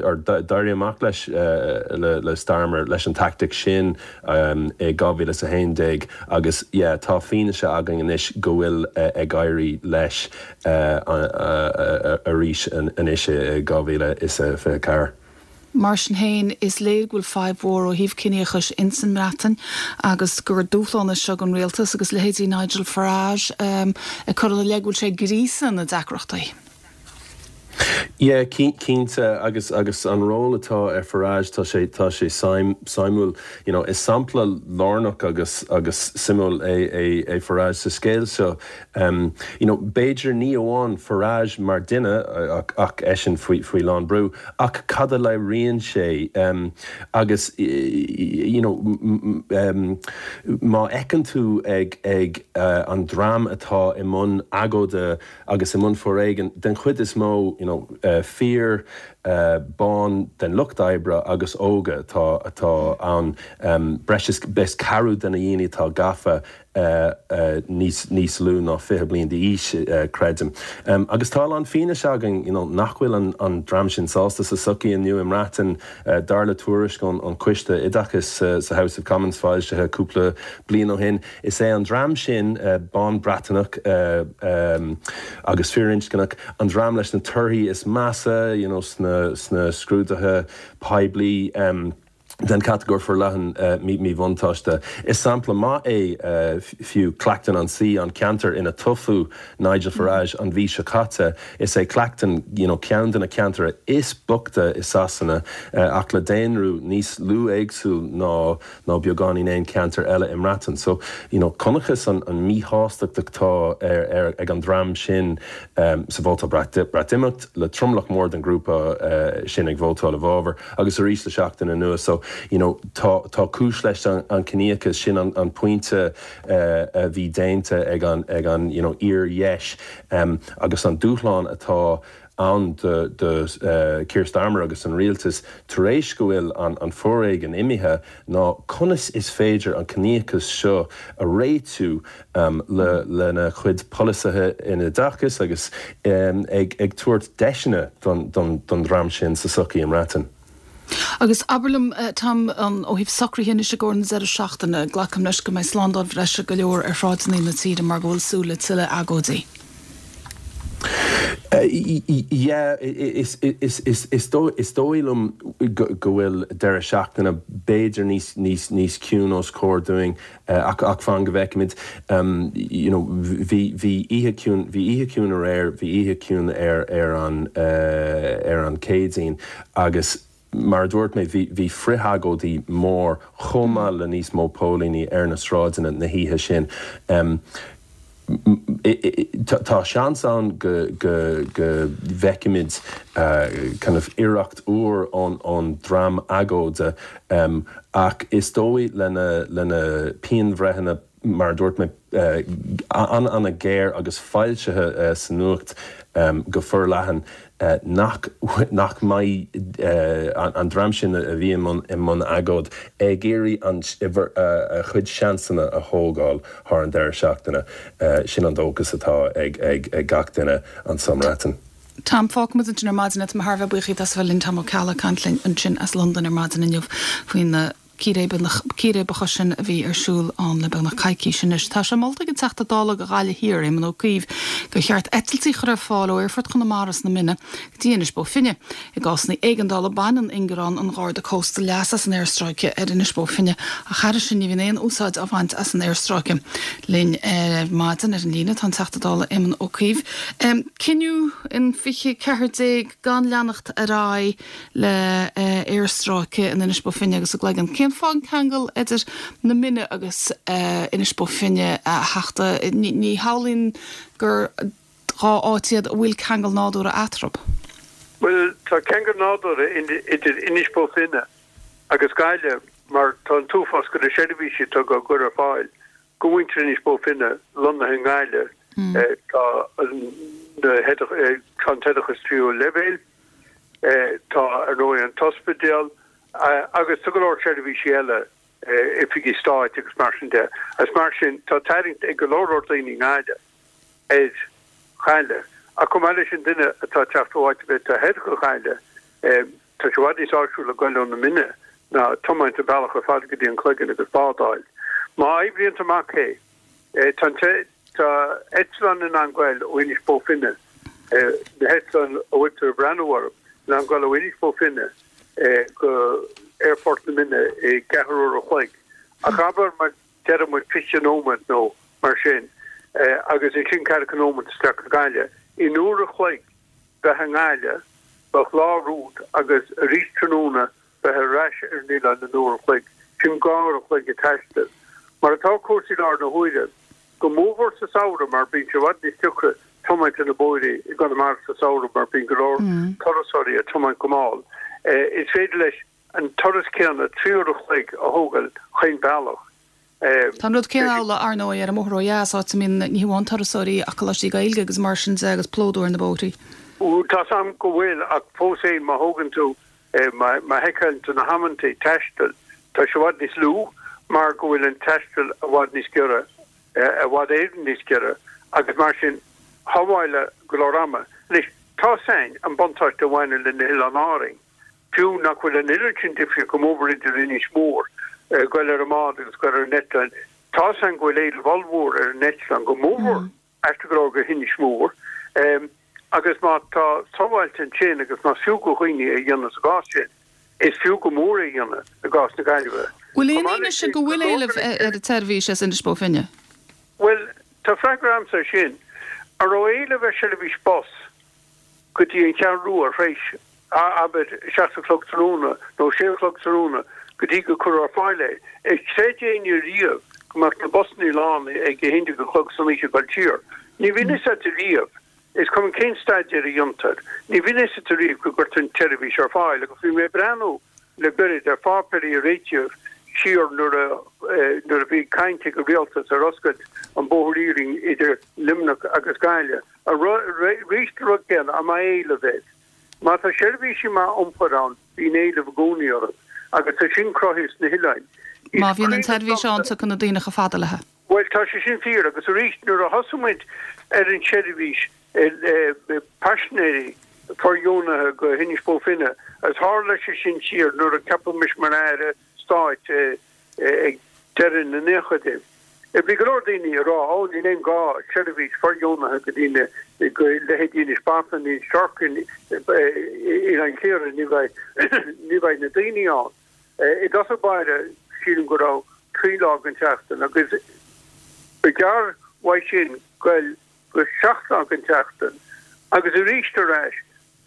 or d'éirigh amach leis le Starmer leis an tactic sin i dhá mhíle is a haon déag agus yeah tá fianaise againn anois go bhfuil ag éirí leis arís anois i dhá mhíle is a fiche ceathair. Mar sin féin, is léir go bhfuil fadhb mhór ó thaobh ciníochais ins an mBreatain agus gur dúshlán é seo don rialtas agus leithéidí Nigel Farage ag cur ina leith go bhfuil sé ag gríosadh na deacrachtaí. Yeah, cinnte, agus agus an ról atá ar Farage, tá sé tá sé suimiúil. You know, is sampla lárnach agus agus suimiúil é é é Farage sa scéal seo. Um, you know, b'fhéidir ní amháin Farage mar duine ach ach eisean faoi faoi lán brú, ach cad a léiríonn sé um, agus you know, um, má fheiceann tú ag ag uh, an dream atá i mbun agóide agus i mbun foréigean den chuid is mó you know, uh, fir uh, bán den lucht oibre agus óga atá atá ann um, breis is is ceathrú de na daoine atá gafa uh, uh, níos níos lú ná fiche bliain d'aois uh, creidim. Um, agus tá an fianaise againn you know, nach bhfuil an, an dream sin sásta sa sochaí inniu i mBreatain uh, dar le tuairisc an, an Coiste Oideachais uh, sa House of Commons foilsithe cúpla bliain ó shin. Is é an dream sin uh, bán Breataineach uh, um, agus firinscneach an dream leis na torthaí is measa you know, sna, sna scrúduithe poiblí um, den catagóir forleathan uh, míbhuntáiste. Is sampla maith é uh, fiú Clacton-on-Sea an ceantar ina toghadh Nigel Farage an mhí seo caite is é Clacton you know, ceann de na ceantair is boichte i Sasana uh, ach le daonra níos lú éagsúil ná ná beagáinín aon ceantar eile i mBreatain. So you know, chonacthas an, an míshástacht atá ar, ar, ag an dream sin um, sa vóta Breatimeacht le tromlach mór den grúpa uh, sin ag vótáil i bhfabhar agus arís le seachtain anuas. So you know, tá, tá cúis leis an, an ciníochas sin an, an pointe uh, a bhí déanta ag an, ag an you know, fhíordheis um, agus an dúshlán atá ann do, do uh, Keir Starmer agus an rialtas tar éis go bhfuil an, an foréigean imithe ná conas is féidir an ciníochas seo a réitiú um, le, lena chuid polasaithe in oideachas agus um, ag, ag tabhairt deiseanna don, don, don dream sin sa sochaí i mBreatain. Agus abair liom Tom an ó thaobh socruithe anois i gcomhair an deireadh seachtaine, glacaim leis go mbeidh slándáil bhreise go leor ar shráideanna na tíre mar go bhfuil súil le tuilleadh agóidí. Yeah, is is is is is dóigh liom go bhfuil deireadh seachtaine b'fhéidir níos níos níos ciúine os comhair dúinn ach ach fan go bhfeicfimid you know bhí bhí oíche ciúin bhí oíche ciúin aréir bhí oíche ciúin ar ar an ar an Céadaoin agus mar a dúirt mé bhí bhí frithagóidí mór chomh maith le níos mó póilíní ar na sráideanna na hoíche sin. Um, tá seans ann go go go bhfeicfimid uh, kind of iarracht úr ón ón dream agóide um, ach is dóigh lena lena pianbhreitheanna mar a dúirt mé uh, an an-ghéar agus foilsithe uh, sa nuacht um, go forleathan uh, nach nach mbeidh uh, an dream sin a bhí i mbun i mbun agóid ag iarraidh an uh, a chuid seansanna a thógáil thar an deireadh seachtaine uh, sin an dóchas atá ag ag ag gach duine anso i mBreatain. Tom fágfaimid ansin ar maidin é thar bheith buíoch as bheith linn Tom Ó Ceallaigh ag caint linn ansin as Londain ar maidin inniu faoin na círéibeacha sin a bhí ar siúl ann le beagnach coicís anois. Tá sé molta ag an Teachta Dála do Ghaillimh Thiar, Éamon Ó Cuív, gur cheart eitiltí a chur ar fáil ó Aerfort Chonamara sna Minna go dtí Inis Bó Finne. I gcásanna éigeandála baineann ingearán an Gharda Cósta leas as an aerstráice ar Inis Bó Finne ach thairis sin ní bhíonn aon úsáid á bhaint as an aerstráice. Linn ar maidin ar an líne tá an Teachta Dála Éamon Ó Cuív. Cinneadh in fiche ceathair déag gan leanacht ar aghaidh le aerstráice in Inis Bó Finne agus sa gCloigeann. Cén fáth an ceangal idir na Minna agus Inis Bó Finne a Theachta? Ní shamhlaím gur dhá áit iad a bhfuil ceangal nádúrtha eatarthu. Bhuel, tá ceangal nádúrtha idir Inis Bó Finne agus Gaillimh mar tá an t-uafás de na seirbhísí atá á gcur ar fáil go mhuintir Inis Bó Finne lonnaithe i nGaillimh. Tá an t-oideachas tríú leibhéal, tá ar ndóigh an t-ospidéal agus tá go leor seirbhísí eile, oifigí stáit agus mar sin de. Agus mar sin tá tarraingt ag go leor leor daoine i nGaillimh ar Ghaillimh. Ach chomh maith leis an duine atá ag teacht ó áit ar bith thoir go Gaillimh, tá sé i bhfad níos áisiúla goil ó na Minna ná tiomáint an bealach ar fad go dtí an Cloigeann agus bád a fháil. Má oibríonn amach é, tá an tá eitleán in ann goil ó Inis Bó Finne, na heitleáin a bhfuiltear ag breathnú orthu, in ann goil ó Inis Bó Finne go Aerfort na Minne i gceathrú uair a chloig. Ach abair mar deireadh muid fiche nóiméad nó mar sin agus ansin ceathracha nóiméad isteach go Gaillimh. In uair a chloig bheith i nGaillimh, bheadh lá romhat agus arís tráthnóna bheith ar ais ar an oileán in uair a chloig. Sin dhá uair a chloig ag taisteal. Mar atá cúrsaí i láthair na huaire, go mórmhór sa samhradh mar bíonn sé i bhfad níos deacra tiomáint ar na bóithre i gConamara sa samhradh mar bíonn go leor turasóirí ag tiomáint go mall. Is féidir leis an turas céanna trí uair a chloig a thógáil chaon bealach. Tá an rud céanna amhlaidh, ar ndóigh, ar an mbóthar ó dheas, áit a mbíonn ní hamháin turasóirí ach coláistí Gaeilge agus mar sin de agus plódú ar na bóithrí. Tá's a'm go bhfuil ach fós féin má thógann tú, má sheiceálann tú na hamantaí taistil, tá sé i bhfad níos lú mar go bhfuil an taisteal i bhfad níos giorra, i bhfad Éireann níos giorra agus mar sin shábháil go leor ama. Anois, tá's a'inn an buntáiste a bhaineann le na hOileáin Árainn. Fiú nach bhfuil an oiread sin difríocht go mórmhór idir Inis Mór, goil ar an mbád agus goil ar an eitleán, tá's a'inn go bhfuil éileamh ollmhór ar an eitleán, go mórmhór aisteach go leor go hInis Mór. Agus má tá sábháilte ansin agus más fiú go dhaoine é a dhéanamh sa gcás sin, is fiú go mór é a dhéanamh i gcás na Gaillimhe. Bhfuil aon fhianaise go bhfuil éileamh ar an tseirbhís as Inis Bó Finne? Bhuel, tá freagra a'msa ar sin. An raibh éileamh ar sheirbhís bus go dtí an Cheathrú Rua tar éis, abair, seacht a chlog tráthnóna nó sé a chlog tráthnóna go dtí go cuireadh ar fáil é? Ar chreid éinne riamh go mbeadh na busannaí lán ag a haon déag a chlog san oíche ag dul siar? Ní bhíonn fhios a't riamh. Is cuma cén staidéar a dhéantar, ní bhíonn fhios a't riamh go gcuirtear an tseirbhís ar fáil agus bhí mé ag breathnú le gairid ar pháipéirí a réitíodh siar nuair a nuair a bhí caint ag an rialtas ar oscailt an bóthar iarainn idir Luimneach agus Gaillimh. Arís an rud céanna, an mbeidh éileamh air? Má tá seirbhísí maith iompair ann, bíonn éileamh i gcónaí orthu agus tá sin cruthaithe sna hoileáin. Is Má bhíonn an cuimhin tseirbhís ann, liomsa. tiocfaidh na daoine chomh fada léi. Bhuel, tá sé sin fíor agus arís nuair a thosaigh muid ar an tseirbhís paisinéirí fóirdheonaithe go hInis Bó Finne agus tharla sé sin siar nuair a ceapadh mise mar Aire Stáit ag deireadh na naochaidí. Bhí go leor daoine ag rá, ó níl aon ghá seirbhís fóirdheonaithe go dtí na, go leithéidí Inis Bó Finne, Inis Sharkin, Oileán Chliara, ní bheidh, ní bheidh na daoine ann. I dtosach báire sílim go raibh trí lá den tseachtain agus ba ghearr uaidh sin goil go seacht lá den tseachtain agus arís ar ais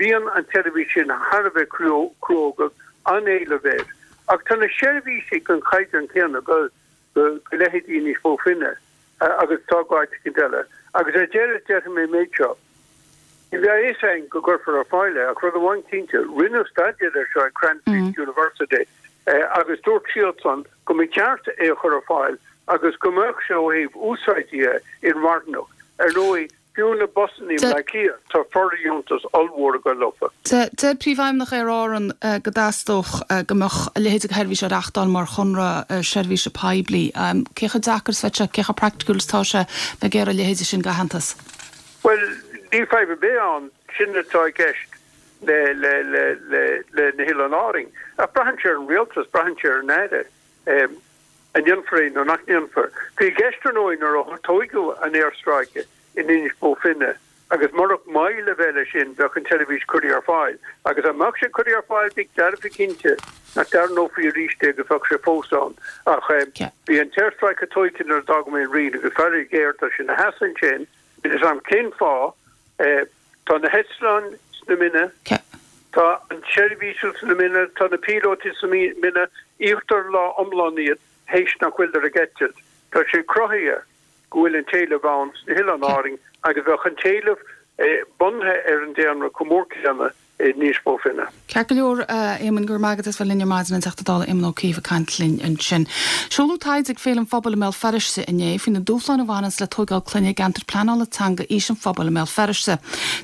bíonn an tseirbhís sin thar a bheith cruógach, an-éileamh air. Ach tá na seirbhísí den chaighdeán céanna go go leithéidí Inis Bó Finne agus tá go áit éicint eile. Agus ar deireadh déarfaidh mé an méid seo, ní bheidh a fhios againn go gcuirfear ar fáil é ach rud amháin cinnte, rinneadh staidéar air seo ag Cranfield University agus dúirt siadsan go mba cheart é a chur ar fáil agus go mbeadh sé ó thaobh úsáidí de inmharthanach. Ar ndóigh, fiú na busannaí i mBleá Cliath, tá fóirdheontas ollmhór ag dul leofa. Deir Príomhfheidhmeannach Aer Árann go dteastódh go mbeadh a leithéid de sheirbhís á reáchtáil mar chonradh seirbhíse poiblí. Cé chomh deacair is a bheadh sé, cé chomh praiticiúil is atá sé bheith ag iarraidh a leithéide sin d'aitheantas? Bhuel, níl fadhb ar bith ann, sin atá i gceist le le le le le na hOileáin Árainn. Ach braitheann sé ar an rialtas, braitheann sé ar an Aire. An ndéanfar é nó nach ndéanfar. Bhí i gceist ar ndóigh nuair a tóigeadh an aerstráice in Inis Bó Finne agus murach moill a bheith leis sin bheadh an tseirbhís curtha ar fáil. Agus dá mbeadh sé curtha ar fáil bí dearfa cinnte nach dtarraingeofaí arís é agus bheadh sé fós ann. Ach bhí an t-aerstráice tógtha nuair a d'fhág mé an Roinn agus faraor géar tá sé ina sheasamh ansin, níl a fhios agam cén fáth, tá na heitleáin sna Minna, tá an tseirbhís sna Minna, tá na píolótaí sna Minna, íoctar lá iomlán iad théis nach bhfuiltear ag eitilt. Tá sé cruthaithe go bhfuil an t-éileamh ann sna hOileáin Árainn agus bheadh an t-éileamh bunaithe ar an daonra chomh mór céanna in Inis Bó Finne. Ceart go leor, a Éamoinn, go raibh maith agat as bheith linn ar maidin, an Teachta Dála Éamon Ó Cuív ag caint linn ansin. Seoladh taighde ag Féile an Phobail i mBéal Feirste inné faoi na dúshláin a bhaineanns le tóigeáil clainne i gceantar pleanála teanga Fhís an Phobail i mBéal Feirste.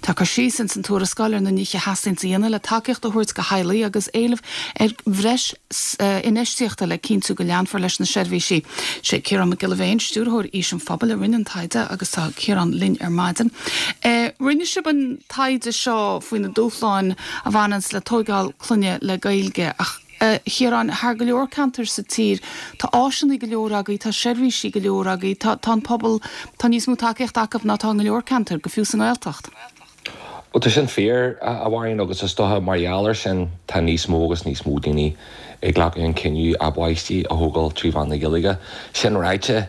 Tá cur síos ins an tuarascáil ar na nithe a theastaíonns a dhéanamh le tacaíocht a thabhairt do theaghlaigh agus éileamh ar bhreis infheistíochta le cinntiú go leanfar leis na seirbhísí. Sé Ciarán Mac Giolla Bhéin, Stiúrthóir Fhís an Phobail, a rinne an taighde agus tá Ciarán linn ar maidin. Rinne sibh an taighde seo faoi na dúshláin a bhaineanns le tóigeáil clainne le Gaeilge ach, a Chiaráin, thar go leor ceantar sa tír tá áiseanna go leor agaibh, tá seirbhísí go leor agaibh, tá tá an pobal, tá níos mó tacaíocht acu ná tá i go leor ceantar, go fiú sa nGaeltacht. Bhuel, tá sin fíor, a Mháirín, agus is dócha mar gheall air sin tá níos mó agus níos mó daoine ag glacadh an cinneadh a bpáistí a thógáil trí mheán na Gaeilge. Sin ráite,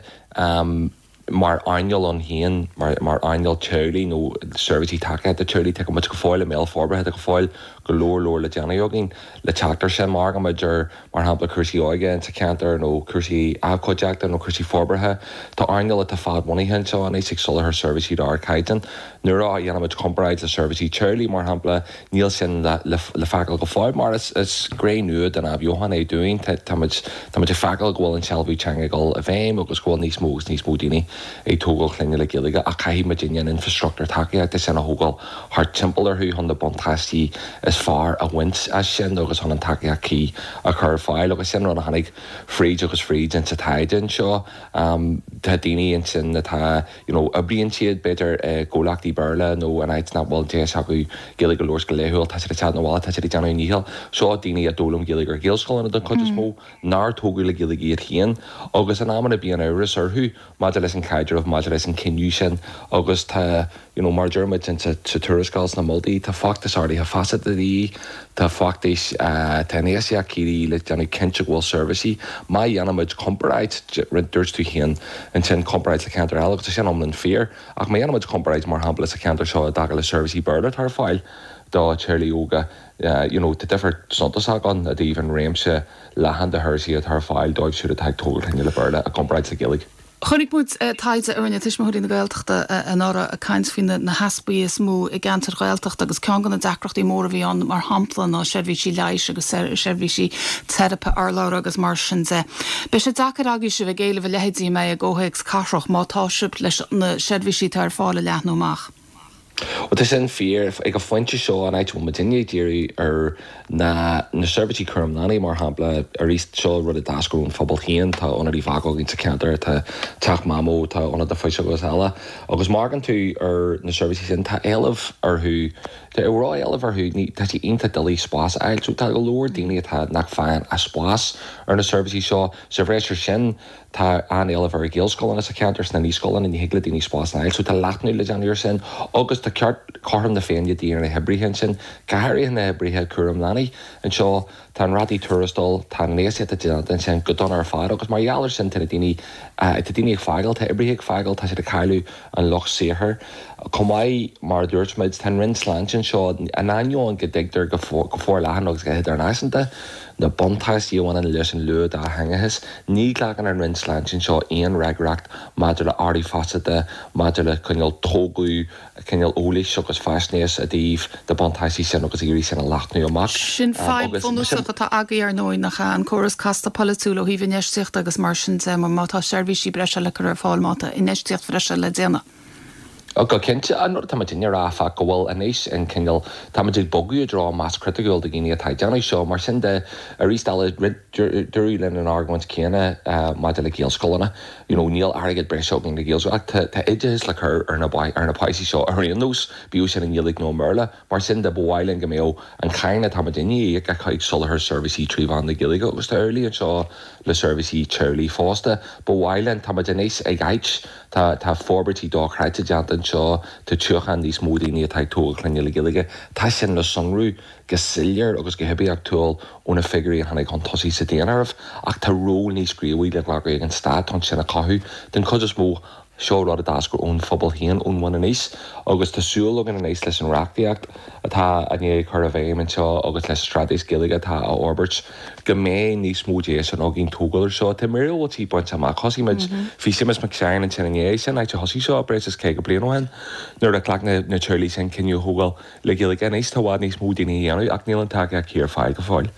mar earnáil ann féin, mar earnáil teaghlaigh nó seirbhísí tacaíochta teaghlaigh, tá muid go fóill i mbéal forbartha, tá go fóill go leor leor le déanamh againn le teacht air sin. Má amharcann muid ar, mar shampla, cúrsaí óige insa cheantar nó cúrsaí abhcóideachta nó cúrsaí forbartha, tá earnáil atá fadbhunaithe anseo anois ag soláthar seirbhísí d'ardchaighdeán. Nuair a dhéanaimid comparáid le seirbhísí teaghlaigh, mar shampla, níl sin le feiceáil go fóill mar is gné nua den athbheochan é dúinn. Táimid ag feiceáil go bhfuil an sealbhú teanga ag dul i bhfeidhm agus go bhfuil níos mó agus níos mó daoine ag tógáil clainne le Gaeilge ach caithfidh muidinne an infreastruchtúr tacaíochta sin a thógáil thart timpeall orthu chun na buntáistí is fearr a bhaint as sin agus chun an tacaíocht cuí a chur ar fáil agus sin rud a tháinig fríd agus fríd insa taighde anseo. Tá daoine ansin atá, you know, oibríonn siad b'fhéidir i gcomhlachtaí Béarla nó in áit nach bhfuil deis acu Gaeilge a labhairt go laethúil, tá siad ag teacht 'na bhaile, tá siad ag déanamh a ndícheall. Seo daoine a d'fhoghlaim Gaeilge ar Ghaelscoileanna den chuid is mó, nár tógadh le Gaeilge iad féin agus in amanna bíonn amhras orthu maidir leis an chaidreamh, maidir leis an chinneadh sin agus tá, you know, mar a deir muid in sa tuarascáil sna moltaí, tá feachtas ardaithe feasachta de dhíth, tá feachtais, tá infheistíocht de dhíth le déanamh cinnte go bhfuil seirbhísí. Má dhéanaimid comparáid, dúirt tú féin ansin comparáid le ceantair eile agus tá sin iomlán fíor, ach má dhéanaimid comparáid mar shampla sa cheantar seo i dtaca le seirbhísí Béarla atá ar fáil do theaghlaigh óga, you know, tá difear suntasach ann i dtaobh an réimse leathan de sheirbhísí atá ar fáil dóibh siúd atá ag tógáil clainne le Béarla i gcomparáid le Gaeilge. Chonaic muid taighde a rinne Tuismitheoirí na Gaeltachta anuraidh ag caint faoi na heaspaí is mó i gceantair Ghaeltachta agus ceann de na deacrachtaí móra a bhí ann mar shampla ná seirbhísí leighis agus seirbhísí teiripe urlabhra agus mar sin de. Beidh sé deacair agaibhse bheith ag éileamh a leithéidí an mbeidh i gcomhthéacs cathrach má tá sibh leis na seirbhísí atá ar fáil a leathnú amach. Bhuel, tá sin fíor. Ag an phointe seo, an áit a bhfuil muidinne ag díriú air ná na seirbhísí cúram leanaí, mar shampla. Arís, seo rud a d'eascair ón phobal féin. Tá Ionad Uíbh Eachach againn sa cheantar, tá Teach Mamó, tá Ionad na Fuiseoige agus eile. Agus má amharcann tú ar na seirbhísí sin, tá éileamh orthu, tá ró-éileamh orthu, ní, tá sé iontach doiligh spás a fháil. So tá go leor daoine atá nach bhfaigheann a spás ar na seirbhísí seo. Sa bhreis air sin, Tá an-éileamh ar Ghaelscoileanna sa cheantar, sna naíscoileanna, ní thig le daoine spás a fháil, so tá leathnú le déanamh air sin agus tá ceart cothrom na Féinne de dhíth ar na hoibrithe ansin, go háirithe na hoibrithe cúram leanaí. Anseo, tá an rátaí tuarastail, tá an infheistíocht atá déanta ansin go dona ar fad agus mar gheall air sin tá na daoine, tá daoine ag fágáil, tá oibrithe ag fágáil, tá siad ag cailleadh an lucht saothair. Chomh maith, mar a dúirt muid, tá an Roinn Sláinte anseo, in ainneoin go dtuigtear go forleathan agus go hidirnáisiúnta, na buntáistí a bhaineann leis an luath-dátheangachas. Ní ghlacann an Roinn Sláinte anseo aon fhreagracht maidir le ardú feasachta, maidir le cineál tógadh, cineál eolais agus faisnéis i dtaobh na buntáistí sin agus ag iarraidh sin a leathnú amach. Sin fadhb bhunúsach atá agaibh ar ndóigh, nach ea? An córas casta polaitiúil ó thaobh infheistíochta agus mar sin de, mar má tá seirbhísí breise le cur ar fáil, má tá infheistíocht bhreise le déanamh. Go cinnte, an rud atá muidinne a rá, áfach, go bhfuil anois an cineál, tá muid ag bogadh i dtreo mais chriticiúil de dhaoine atá ag déanamh seo. Mar sin de, arís eile, dúradh linn an argóint chéanna maidir le Gaelscoileanna, you know, níl airgead breise againn do Ghaelscoil, ach tá tá oideachas le cur ar na ar na páistí seo ar aon nós, bíodh sin i nGaeilge nó i mBéarla. Mar sin de, ba mhaith linn go mbeadh an cháin atá muidinne a íoc ag soláthar seirbhísí trí mheán na Gaeilge agus tá amhlaidh anseo le seirbhísí teaghlaigh fosta. Ba mhaith linn, tá muid anois ag áit, Tá tá forbairtí dochreidte déanta anseo, tá tiúchan níos mó daoine atá ag tógáil clainne le Gaeilge. Tá sin le sonrú go soiléir agus go hoibiachtúil ó na figiúirí a tháinig chun tosaigh sa daonáireamh, ach tá ról níos gníomhaí le glacadh ag an stát chun sin a chothú. Den chuid is mó, seo rud a d'eascair ón phobal féin, ón bhun aníos, agus tá súil againn anois leis an reachtaíocht atá i ndiaidh cur i bhfeidhm anseo agus leis an straitéis Gaeilge atá á fhorbairt go mbeidh níos mó deiseanna againn tógáil ar seo. Tá míorúiltí bainte amach. Thosaigh muid, bhí Séamus Mac Seáin ansin inné, sin áit a thosaigh seo breis is caoga bliain ó shin nuair a ghlac na teaghlaigh sin cinneadh a thógáil le Gaeilge. Anois tá i bhfad níos mó daoine á dhéanamh ach níl an tacaíocht ar fáil go fóill.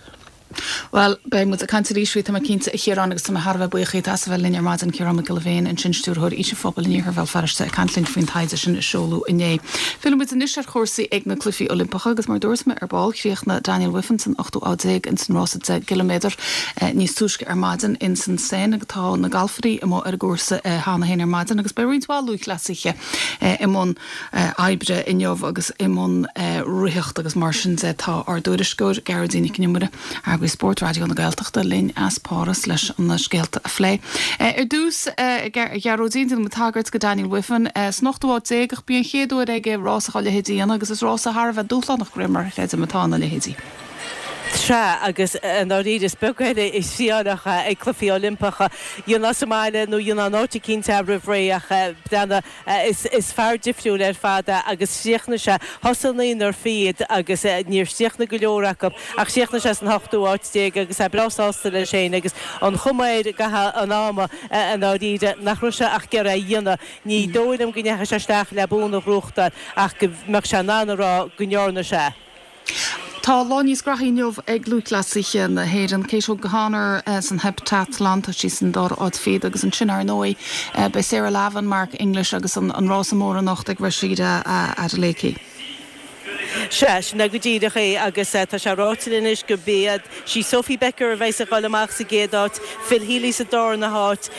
Bhuel, beidh muid ag caint arís faoi, tá mé cinnte, a Chiaráin, agus tá mé thar a bheith buíoch díot as a bheith linn ar maidin, Ciarán Mac Giolla Bhéin, ansin Stiúrthóir Fhís an Phobail in Iarthar Bhéal Feirste, ag caint linn faoin taighde sin a seoladh inné. Filleann muid anois ar chúrsaí ag na Cluichí Oilimpeacha agus mar dúirt mé ar ball, chríochnaigh Daniel Wiffen san ochtú áit déag ins an rása deich gciliméadar níos túisce ar maidin ins an Seine agus tá na galfairí amuigh ar an gcúrsa cheana féin ar maidin agus beidh roinnt mhaith lúthchleasaithe i mbun oibre inniu agus i mbun ritheacht agus mar sin de tá ár dtuairisceoir Gearóidín Nic an Iomaire, Eagraí Spóirt Raidió na Gaeltachta, linn as Páras leis na scéalta a phlé. Ar dtús, a Ghearóidín, déanfaidh muid tagairt go Daniel Wiffen san ochtú háit déag ach b'í an chéad uair aige rás dá leithéid a dhéanamh agus is rása thar a bheith dúshlánach de réir mar a chreidim atá ina leithéidí. Sea, agus i ndáiríre is beag eile is trialacha ag Cluichí Oilimpeacha. Dhéanfá sa mbaile nó dhéanfá in áit eicínt é roimh ré ach breathnaigh, is fear difriúil ar fad é agus chríochnaigh sé, thosaigh naonúr fichead agus níor chríochnaigh go leor acu ach chríochnaigh sé san ochtú áit déag agus é breá sásta leis féin agus an chuma air i gcaitheamh an ama i ndáiríre nach raibh sé ach ag iarraidh é a dhéanamh. Ní dóigh liom go ndeachaigh sé isteach le bonn a ghnóthachtáil ach go mbeadh sé in ann a rá go ndearna sé. Tá lá níos graithí inniu ag lúthchleasaithe na hÉireann. Kate O'Connor san heipteatlan, tá sí san dara háit fichead agus ansin ar ndóigh beidh Sarah Lavin, Mark English agus an rása mór anocht ag Rhasidat Adeleke. Sea, sin é go díreach é agus tá sé ráite linn anois go mbeidh sí Sophie Becker a bheas ag dul amach sa gcéad áit, Phil Healy sa darna háit,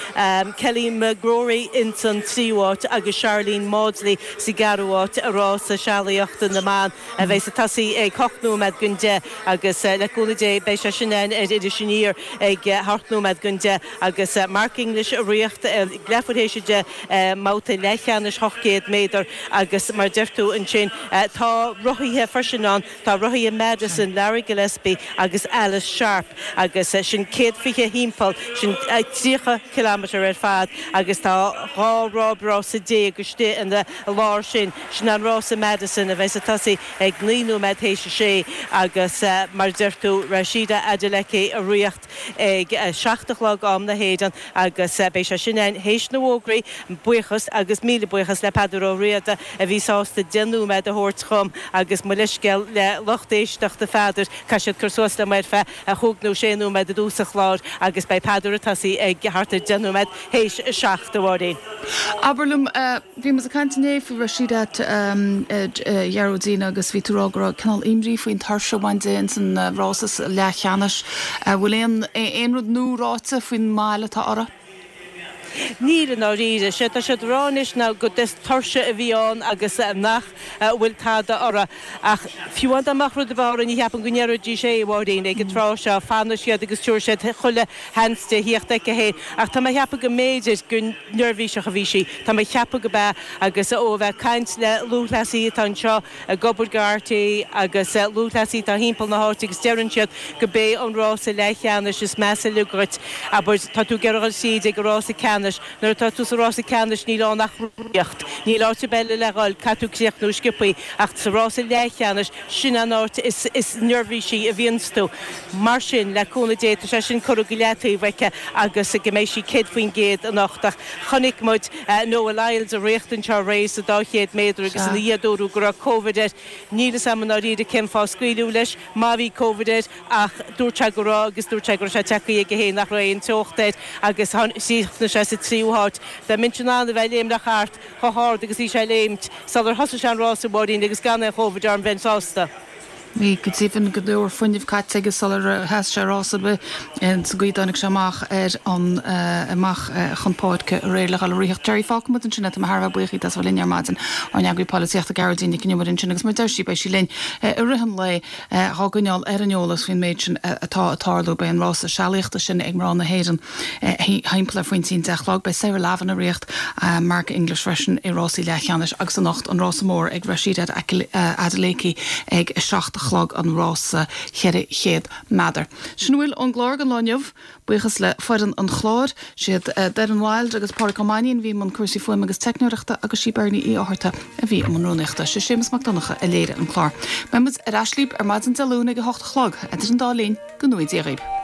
Kelly McGrory ins an tríú háit agus Sharlene Mawdsley sa gceathrú háit i rás sealaíochta na mban a bheas ag tosaí ag hocht nóiméad don deich agus le cúnamh Dé beidh sé sin ann ar Iris Aniar ag hocht nóiméad don deich agus Mark English ag rith ag leathuair théis a deich mbabhta leathcheannais ocht gcéad méadar agus mar deir tú ansin tá rothaithe freisin ann, tá rothaithe Madison, Larry Gillespie agus Alice Sharp agus sin céad fiche thimpeall, sin tríocha kilometre ar fad agus tá dhá rábrás déag istigh ina lár sin. Sin an rása Madison a bheas ag tosaí ag naoi nóiméad théis a sé agus mar a deir tú Rhasidat Adeleke ag rith ag a seacht a chlog am na hÉireann agus beidh sé sin ann théis na bhfógraí. Buíochas agus míle buíochas le Peadar Ó Riada a bhí sásta deich nóiméad a thabhairt dhom agus mo leithscéal le lucht éisteachta Pheadair, caithfidh siad cur suas liom ar feadh chúig nó sé nóiméad i dtús an chláir agus beidh Peadar ag tosaí ag thart ar deich nóiméad théis a seacht, a Mháirín. Abair liom, bhí muid ag caint inné faoi Rhasidat a Ghearóidín agus bhí tú ag rá go raibh cineál imní faoin tuirse a bhain di ins an rás leathcheannais. Bhfuil aon aon rud nua ráite faoin mbail atá uirthi? Níl i ndáiríre. Sé tá siad a rá anois ná gur tuirse a bhí ann agus nach bhfuil tada uirthi. Ach fiú amháin dá mbeadh rud ar bith uirthi ní cheapaim go ndéarfaidís é, a Mháirín, ag an tráth seo. Fanfaidh siad agus tabharfaidh siad chuile sheans di thíocht aici féin. Ach tá mé a cheapadh go mb'fhéidir gur neirbhíseach a bhí sí. Tá mé a cheapadh go b'ea agus ó a bheith ag caint le lúthchleasaithe atá anseo ag obair do RTÉ agus lúthchleasaithe atá thimpeall na háite agus deireann siad go b'é an rása leathcheannais is measa uilig dhuit. Abair, tá tú ag iarraidh dhul tríd ag an rása ceannais. Nuair atá tú sa rása ceannais níl ann ach rothaíocht. Níl áit ar bith eile le dhul, caithfidh tú críochnú sciobthaí. Ach sa rása leathcheannais, sin an áit is is neirbhísí a bhíonns tú. Mar sin, le cúnamh Dé, tá sé sin curtha go leataobh aici agus go mbeidh sí céad faoin gcéad anocht. Ach chonaic muid Noah Lyles ag rith anseo aréir sa dá chéad méadar agus ina dhiaidh dúradh go raibh Covid air. Níl fhios a'm i ndáiríre cén fáth a scaoileadh leis má bhí Covid air ach dúirt sé go raibh agus dúirt sé go raibh sé tagtha aige féin nach raibh aon teocht air agus chríochnaigh sé sa tríú háit. Dá mbeinnse in ann a bheith ag léimneach thart chomh hard agus bhí sé ag léimt sular thosaigh sé an rás a Mháirín agus gan aon Chóivid orm bheinn sásta. Bhí go deimhin go leor fuinnimh caite aige sular sheas sé rás ar bith sa gcaoi a dtáinig sé amach ar an amach chun páirce aréir le dhul ag ritheacht. Gerry, fágfaidh muid ansin é, tá mé thar a bheith buíoch díot as a bheith linn ar maidin, ár n-eagraí polaitíochta Gearóidín Nic an Iomaire ansin agus mar a deir sí beidh sí linn i rith an lae dhá gcoinneáil ar an eolas faoin méid sin atá ag tarlú. Beidh an rása sealaíochta sin ag mná na hÉireann thimpeall ar phointí an deich a chlog. Beidh Sarah Lavin ag ritheacht, Mark English freisin i rásaí leathcheannais agus anocht an rása mór ag Rhasidat Adeleke ag a seacht a chlog an rása cheithre chéad meadar. Sin a bhfuil ón gclár don lá inniu. Buíochas le foireann an chláir. Siad Doireann Wilde agus Pádraic Ó Mainnín a bhí i mbun cúrsaí fuaime agus teicneoireachta agus sí Bernie Uí Fhátharta a bhí i mbun rúnaíochta. Sé Séamus Mac Donncha a léirigh an clár. Beidh muid ar ais libh ar maidin Dé Luain ag a hocht a chlog. Idir an dá linn, go ngnóthaí Dia dhaoibh.